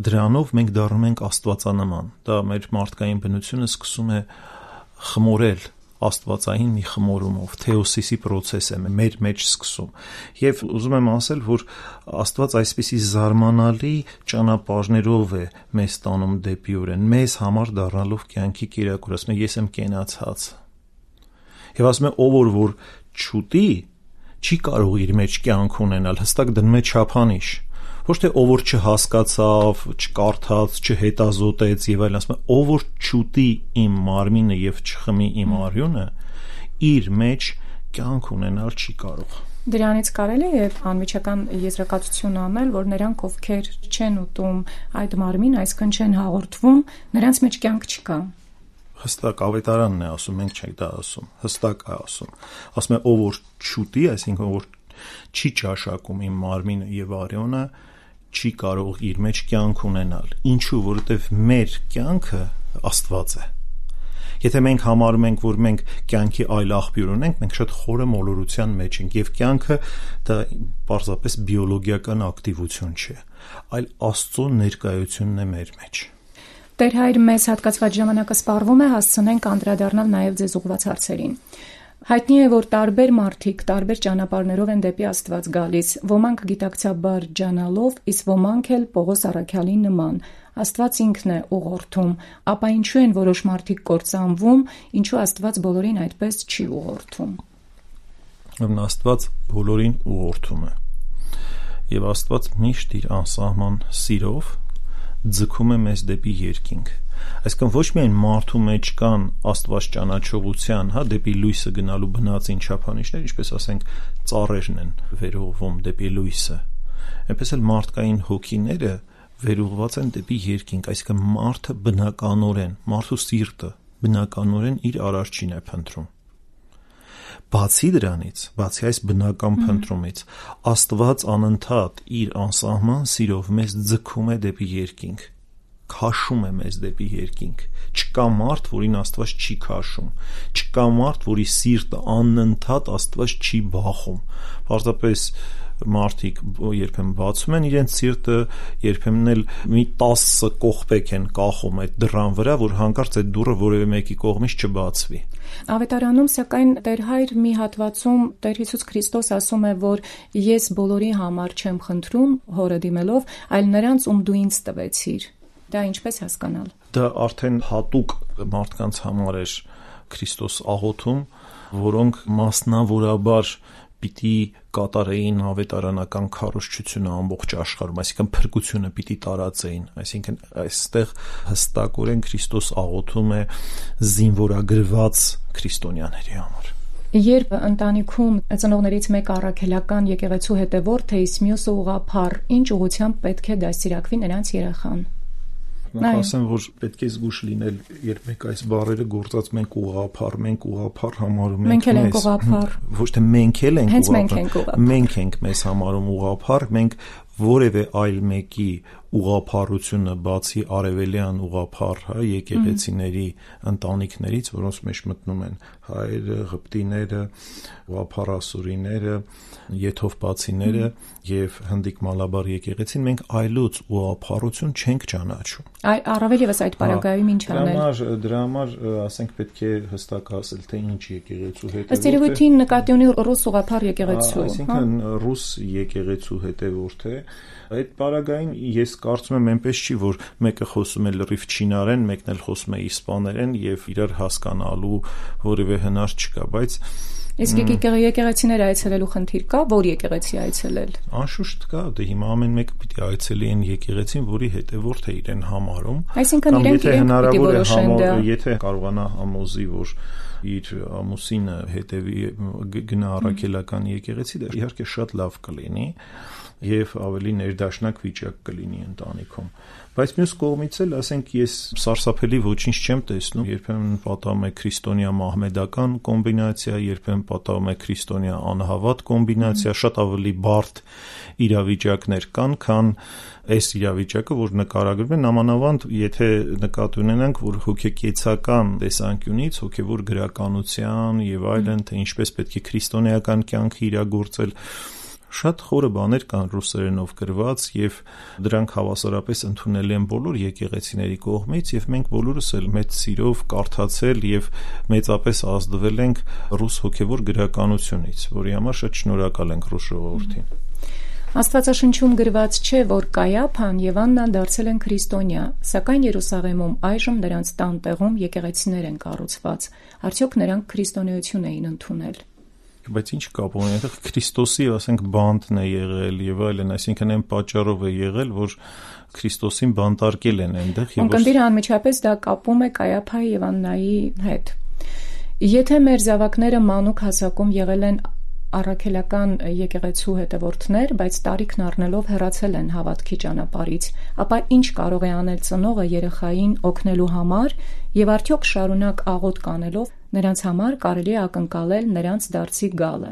դրանով մենք դառնում ենք աստվածանման։ Դա մեր մարդկային բնությունը սկսում է խմորել աստվածային մի խմորումով, թեոսիսի process է մեր մեջ սկսում։ Եվ ուզում եմ ասել, որ Աստված այսպիսի զարմանալի ճանապարհներով է մեզ տանում դեպի օրեն, մեզ համար դառնալով կյանքի կերակուր, ասում է ես եմ կենացած։ Եվ ասում է ով որ չուտի, չի կարող իր մեջ կյանք ունենալ, հստակ դնում է չափանիշ։ Ոչ թե ով որ չհասկացավ, չկարդաց, չհետազոտեց եւ այլն, ասում է ով որ չուտի իմ մարմինը եւ չխմի իմ արյունը, իր մեջ կյանք ունենալ չի կարող։ Դրանից կարելի է անմիջական եզրակացություն անել, որ նրանք ովքեր չեն ուտում այդ մարմին, այսքան չեն հաղորդվում, նրանց մեջ կյանք չկա։ Հստակ ավետարանն է ասում, մենք չենք դա ասում, հստակ է ասում։ Ասում է ով որ չուտի, այսինքն ով որ չի ճաշակում իմ մարմինը եւ արյունը, չի կարող իր մեջ կյանք ունենալ։ Ինչու, որովհետև մեր կյանքը Աստված է։ Եթե մենք համարում ենք, որ մենք կյանքի այլ աղբյուր ունենք, մենք շատ խորը մոլորության մեջ ենք եւ կյանքը դա պարզապես բիոլոգիական ակտիվություն չէ, այլ Աստծո ներկայությունն է մեր մեջ։ Տեր Հայր, մեզ հատկացված ժամանակը սպառվում է, հասցնենք անդրադառնալ նաեւ ձեզ ուղղված հարցերին։ Հայտնի է, որ տարբեր մարդիկ տարբեր ճանապարհներով են դեպի Աստված գալիս, ոմանք գիտակցաբար ջանալով, իսկ ոմանք էլ Պողոս առաքյալի նման։ Աստված ինքն է ուղղորդում, ապա ինչու են որոշ մարդիկ կործանվում, ինչու Աստված բոլորին այդպես չի ուղղորդում։ Աստված բոլորին ուղղորդում է։ Եվ Աստված միշտ իր անսահման սիրով ձգում է մեզ դեպի երկինք։ Այսինքն ոչ միայն մարդու մեջ կան Աստված ճանաչողության, հա, դեպի լույսը գնալու բնածին չափանիշներ, ինչպես ասենք ծառերն են վերողվում դեպի լույսը, այնպես էլ մարդկային հոգիները վերողված են դեպի երկինք, այսինքն մարդը բնականորեն, մարդու սիրտը բնականորեն իր արարչին է փնտրում։ Բացի դրանից, բացի այս բնական փնտրումից, Աստված անընդհատ իր անսահման սիրով մեզ ձգում է դեպի երկինք, քաշում է մեզ դեպի երկինք։ Չկա մարդ, որին Աստված չի քաշում, չկա մարդ, որի սիրտը անընդհատ Աստված չի բախում։ Պարզապես մարդիկ երբեմն բացում են իրենց սիրտը, երբեմն էլ մի տասը կողպեկ են կախում այդ դռան վրա, որ հանկարծ այդ դուռը որևէ մեկի կողմից չբացվի։ Ավետարանում սակայն Տեր Հայր մի հատվածում Տեր Հիսուս Քրիստոս ասում է, որ ես բոլորի համար չեմ խնդրում հորը դիմելով, այլ նրանց, ում դու ինձ տվեցիր։ Դա ինչպես հասկանալ։ Դա արդեն հատուկ մարդկանց համար էր Քրիստոս աղոթում, որոնք մասնավորաբար պիտի կատարեին ավետարանական քարոզչությունը ամբողջ աշխարհում, այսինքն փրկությունը պիտի տարածեին, այսինքն այստեղ հստակորեն Քրիստոս աղոթում է զինվորագրված քրիստոնյաների համար։ Երբ ընտանիքում ծնողներից մեկը առաքելական եկեղեցու հետևորդ է, իսկ մյուսը ուղղափառ, ինչ ուղղությամբ պետք է դաստիարակվի նրանց երեխան։ Նախ ասեմ, որ պետք է զգուշ լինել, երբ մենք այս բառերը գործած մենք ուղղափառ, մենք ուղղափառ համարում ենք մեզ։ Մենք ենք ուղղափառ։ Ոչ թե մենք էլ ենք ուղղափառ։ Մենք ենք մեզ համարում ուղղափառ, մենք որևէ այլ մեկի ուղղափառությունը բացի արևելյան ուղղափառ, հա, եկեղեցիների ընտանիքներից, որոնց մեջ մտնում են հայերը, ղպտիները, ուղղափառասուրիները, եթովպացիները եւ հնդիկ մալաբար եկեղեցին, մենք այլոց ուղղափառություն չենք ճանաչում։ Այ առավել եւս այդ պարագայում ինչ անել։ Դրա համար, դրա համար, ասենք, պետք է հստակ ասել, թե ինչ եկեղեցու հետ է։ Ըստ երևույթին նկատի ունի ռուս ուղղափառ եկեղեցու, այսինքն ռուս եկեղեցու հետևորդ է։ Այդ պարագային ես կարծում եմ այնպես չի, որ մեկը խոսում է լրիվ չինարեն, մեկն էլ խոսում է իսպաներեն եւ իրար հասկանալու որևէ հնար չկա, բայց իսկ եկեղեցիներ այցելելու խնդիր կա, որ եկեղեցի այցելել։ Անշուշտ կա, դե հիմա ամեն մեկը պիտի այցելի այն եկեղեցին, որի հետևորդ է իրեն համարում։ Այսինքն իրենք իրենք պիտի որոշեն դա։ Եթե կարողանա համոզի, որ իր ամուսինը հետևի գնա առաքելական եկեղեցի, դա իհարկե շատ լավ կլինի եւ ավելի ներդաշնակ վիճակ կլինի ընտանիքում, բայց մյուս կողմից էլ, ասենք, ես սարսափելի ոչինչ չեմ տեսնում, երբեմն պատահում է քրիստոնյա մահմեդական կոմբինացիա, երբեմն պատահում է քրիստոնյա անհավատ կոմբինացիա, շատ ավելի բարդ իրավիճակներ կան, քան այս իրավիճակը, որ նկարագրվում է, նամանավանդ եթե նկատի ունենանք, որ հոգեկեցական տեսանկյունից, հոգևոր գրականության եւ այլն, թե ինչպես պետք է քրիստոնեական կյանքը իրագործել, շատ խորը բաներ կան ռուսերենով գրված եւ դրանք հավասարապես ընդունել են բոլոր եկեղեցիների կողմից եւ մենք բոլորս էլ մեծ սիրով կարդացել եւ մեծապես ազդվել ենք ռուս հոգևոր գրականությունից, որի համար շատ շնորհակալ ենք ռուս ժողովրդին։ Աստվածաշնչում գրված չէ, որ Կայափան եւ Աննան դարձել են քրիստոնյա, սակայն Երուսաղեմում այժմ նրանց տան տեղում եկեղեցիներ են կառուցված։ Արդյոք նրանք քրիստոնեություն էին ընդունել։ Բայց ինչ կապ ունի, այդտեղ Քրիստոսի, ասենք, բանտն է եղել եւ այլն, այսինքն այն պատճառով է եղել, որ Քրիստոսին բանտարկել են այնտեղ եւ Ունկնդիրը անմիջապես դա կապում է Կայափայի եւ Աննայի հետ։ Եթե մեր զավակները մանուկ հասակում եղել են առաքելական եկեղեցու հետևորդներ, բայց տարիքն առնելով հեռացել են հավատքի ճանապարհից, ապա ինչ կարող է անել ծնողը երեխային օգնելու համար եւ արդյոք շարունակ աղոտ կանելով նրանց համար կարելի է ակնկալել նրանց դարձի գալը։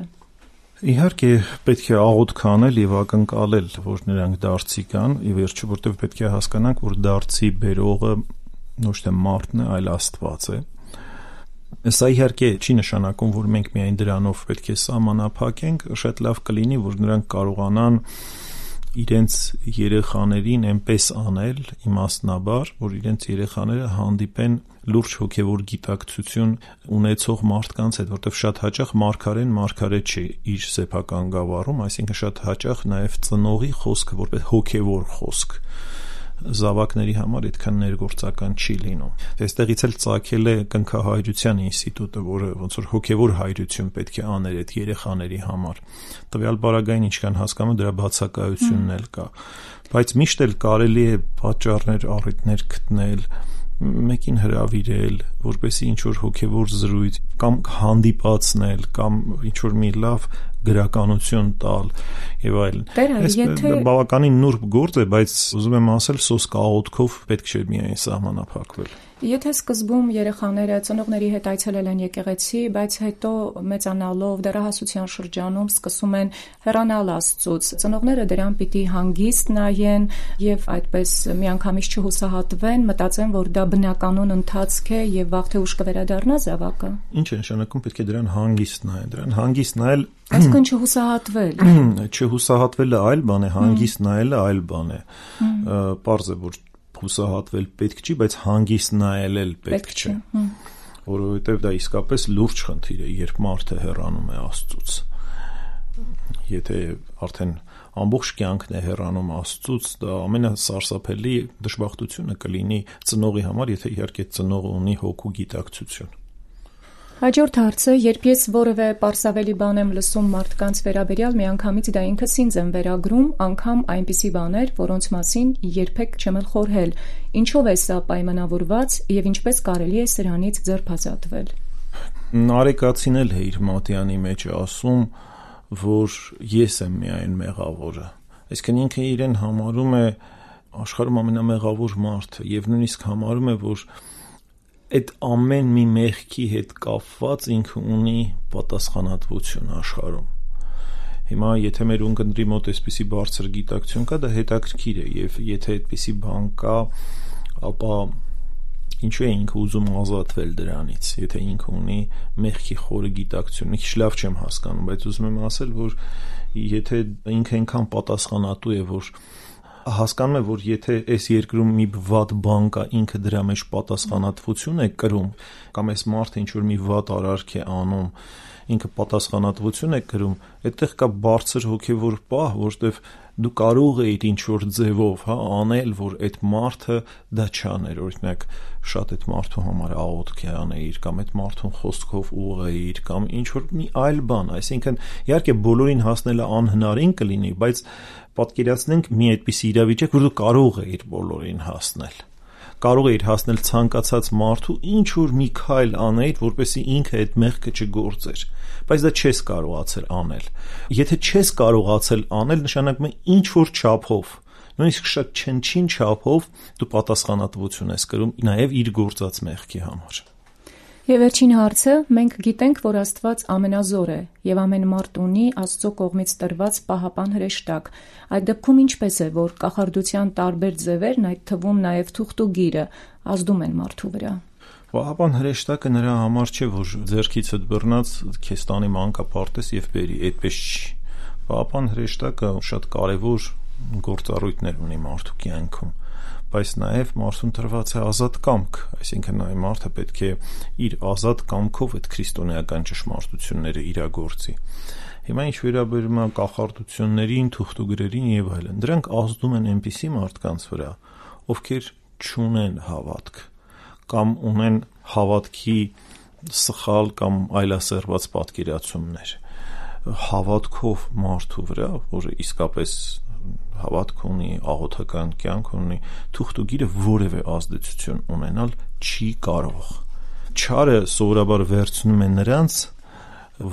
Իհարկե պետք է աղոտ կանել եւ ակնկալել, որ նրանք դարձի գան, ի վերջո, որտեղ պետք է հասկանանք, որ դարձի բերողը ոչ թե մարդն է, այլ Աստված է։ Սա իհարկե չի նշանակում, որ մենք միայն դրանով պետք է սահմանափակենք, շատ լավ կլինի, որ նրանք կարողանան իրենց երեխաներին այնպես անել իմաստնաբար, որ իրենց երեխաները հանդիպեն լուրջ հոգևոր գիտակցություն ունեցող մարդկանց հետ, որտեղ շատ հաճախ մարգարեն մարգարե չէ իր սեփական գավառում, այսինքն շատ հաճախ նաև ծնողի խոսքը որպես հոգևոր խոսք զավակների համար այդքան ներգործական չի լինում։ Այստեղից էլ ծագել է կնքահայրության ինստիտուտը, որը ոնց որ հոգևոր հայրություն պետք է աներ այդ երեխաների համար։ Տվյալ բaragային ինչքան հասկանում դրա բացակայությունն էլ կա, բայց միշտ էլ կարելի է պատճառներ, առիթներ գտնել, մեկին հրավիրել, որպեսզի ինչ որ հոգևոր զրույց կամ հանդիպացնել կամ ինչ որ մի լավ գրականություն տալ եւ այլն։ Եթե բավականին նուրբ գործ է, բայց ուզում եմ ասել, սոսկ աղոթքով պետք չէ միայն սահմանափակվել։ Եթե սկզբում երեխաները ծնողների հետ այցելել են եկեղեցի, բայց հետո մեծանալով դեռահասության շրջանում սկսում են հեռանալ Աստծուց, ծնողները դրան պիտի հանգիստ նայեն եւ այդպես միանգամից չհուսահատվեն, մտածեն, որ դա բնականon ընթացք է եւ վաղ թե ուշ կվերադառնա զավակը։ Ինչ է նշանակում, պետք է դրան հանգիստ նայեն, դրան հանգիստ նայել Այսինքն չհուսահատվել։ Չհուսահատվելը այլ բան է, հանգիստ նայելը այլ բան է։ Պարզ է, որ հուսահատվել պետք չի, բայց հանգիստ նայել էլ պետք չէ, որովհետև դա իսկապես լուրջ խնդիր է, երբ մարդը հեռանում է Աստծուց։ Եթե արդեն ամբողջ կյանքն է հեռանում Աստծուց, դա ամենասարսափելի դժբախտությունը կլինի ծնողի համար, եթե իհարկե ծնողը ունի հոգու գիտակցություն։ Հաջորդ հարցը, երբ ես որևէ պարսավելի բան եմ լսում մարդկանց վերաբերյալ, միանգամից դա ինքս ինձ եմ վերագրում, անգամ այնպիսի բաներ, որոնց մասին երբեք չեմ էլ խորհել։ Ինչով է սա պայմանավորված եւ ինչպես կարելի է սրանից ձերբազատվել։ Նարեկացին էլ է իր մատյանի մեջ ասում, որ ես եմ միայն մեղավորը։ Այսինքն ինքը իրեն համարում է աշխարհում ամենամեղավոր մարդը եւ նույնիսկ համարում է, որ այդ ամեն մի մեղքի հետ կապված ինքը ունի պատասխանատվություն աշխարհում։ Հիմա եթե մեր ունկնդրի մոտ այսպիսի բարձր գիտակցություն կա, դա հետաքրքիր է, եւ եթե այդպիսի բան կա, ապա ինչու է ինքը ուզում ազատվել դրանից, եթե ինքը ունի մեղքի խորը գիտակցություն։ Մի քիչ լավ չեմ հասկանում, բայց ուզում եմ ասել, որ եթե ինքը այնքան պատասխանատու է, որ հասկանում է, որ եթե այս երկրում մի վատ բան կա, ինքը դրա մեջ պատասխանատվություն է կրում, կամ այս մարդը ինչ որ մի վատ արարք է անում, ինքը պատասխանատվություն է կրում, այդտեղ կա բարձր հոգևոր պահ, որտեվ դու կարող ես ինչ որ ձևով, հա, անել, որ այդ մարդը դա չաներ, օրինակ շատ այդ մարդու համար աղոթք անեիր, կամ այդ մարդուն խոսքով ուղղեիր, կամ ինչ որ մի այլ բան, այսինքն իհարկե բոլորին հասնելը անհնարին կլինի, բայց պատկերացնենք մի այդպիսի իրավիճակ, որ դու կարող ես բոլորին հասնել, կարող էիր հասնել ցանկացած մարդու ինչ որ մի քայլ անել, որպեսզի ինքը այդ մեղքը չգործեր, բայց դա չես կարողացել անել։ Եթե չես կարողացել անել, նշանակում է ինչ որ չափով, նույնիսկ շատ չնչին չափով դու պատասխանատվություն ես կրում նաև իր գործած մեղքի համար։ Եվ վերջին հարցը, մենք գիտենք, որ Աստված ամենազոր է եւ ամեն մարդ ունի Աստծո կողմից տրված պահապան հրեշտակ։ Այդ դեպքում ինչպես է, որ կախարդության տարբեր ձևերն, այդ թվում նաև թուղթ ու գիրը, ազդում են մարդու վրա։ Պահապան հրեշտակը նրա համար չէ, որ ձեռքիցդ բռնած քեզ տանի մանկապարտեզ եւ բերի, այդպես չի։ Պահապան հրեշտակը շատ կարեւոր գործառույթներ ունի մարդու կյանքում, բայց նաև մարդուն տրված է ազատ կամք, այսինքն այ մարդը պետք է իր ազատ կամքով այդ քրիստոնեական ճշմարտությունները իրագործի։ Հիմա ինչ վերաբերում է կախարդություններին, թուղթուգրերին եւ այլն, դրանք ազդում են այնպիսի մարդկանց վրա, ովքեր չունեն հավատք կամ ունեն հավատքի սխալ կամ այլասերված պատկերացումներ։ Հավատքով մարդու վրա, որը իսկապես հավատք ունի, աղոթական կյանք ունի, թուղթ ու գիրը որևէ ազդեցություն ունենալ չի կարող։ Չարը սովորաբար վերցնում է նրանց,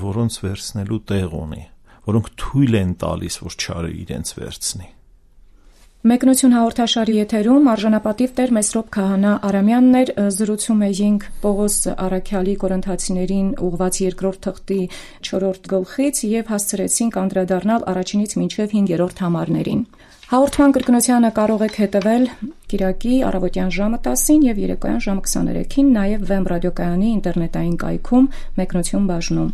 որոնց վերցնելու տեղ ունի, որոնք թույլ են տալիս, որ չարը իրենց վերցնի։ Մեկնություն հաղորդաշարի եթերում արժանապատիվ Տեր Մեսրոպ Քահանա Արամյանն էր, զրուցում էինք Պողոս Առաքյալի Կորինթացիներին ուղված երկրորդ թղթի չորրորդ գլխից եւ հասցրեցինք անդրադառնալ առաջինից մինչեւ հինգերորդ համարներին։ Հաղորդման կրկնությանը կարող եք հետևել կիրակի առավոտյան ժամը տասին եւ երեկոյան ժամը քսաներեքին, նաեւ Վեմ ռադիոկայանի ինտերնետային կայքում Մեկնություն բաժնում։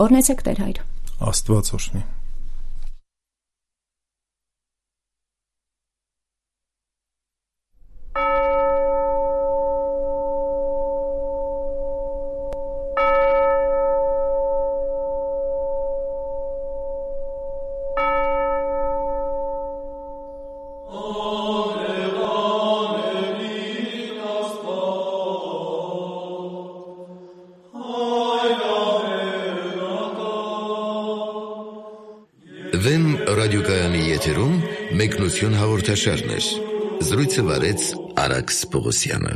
Օրհնեցեք Տեր Հայր։ Աստված օրհնի։ Վեմ ռադիոկայանի եթերում մեկնություն հաղորդաշարներ։ Զրույցը վարեց Արաքս Պողոսյանը։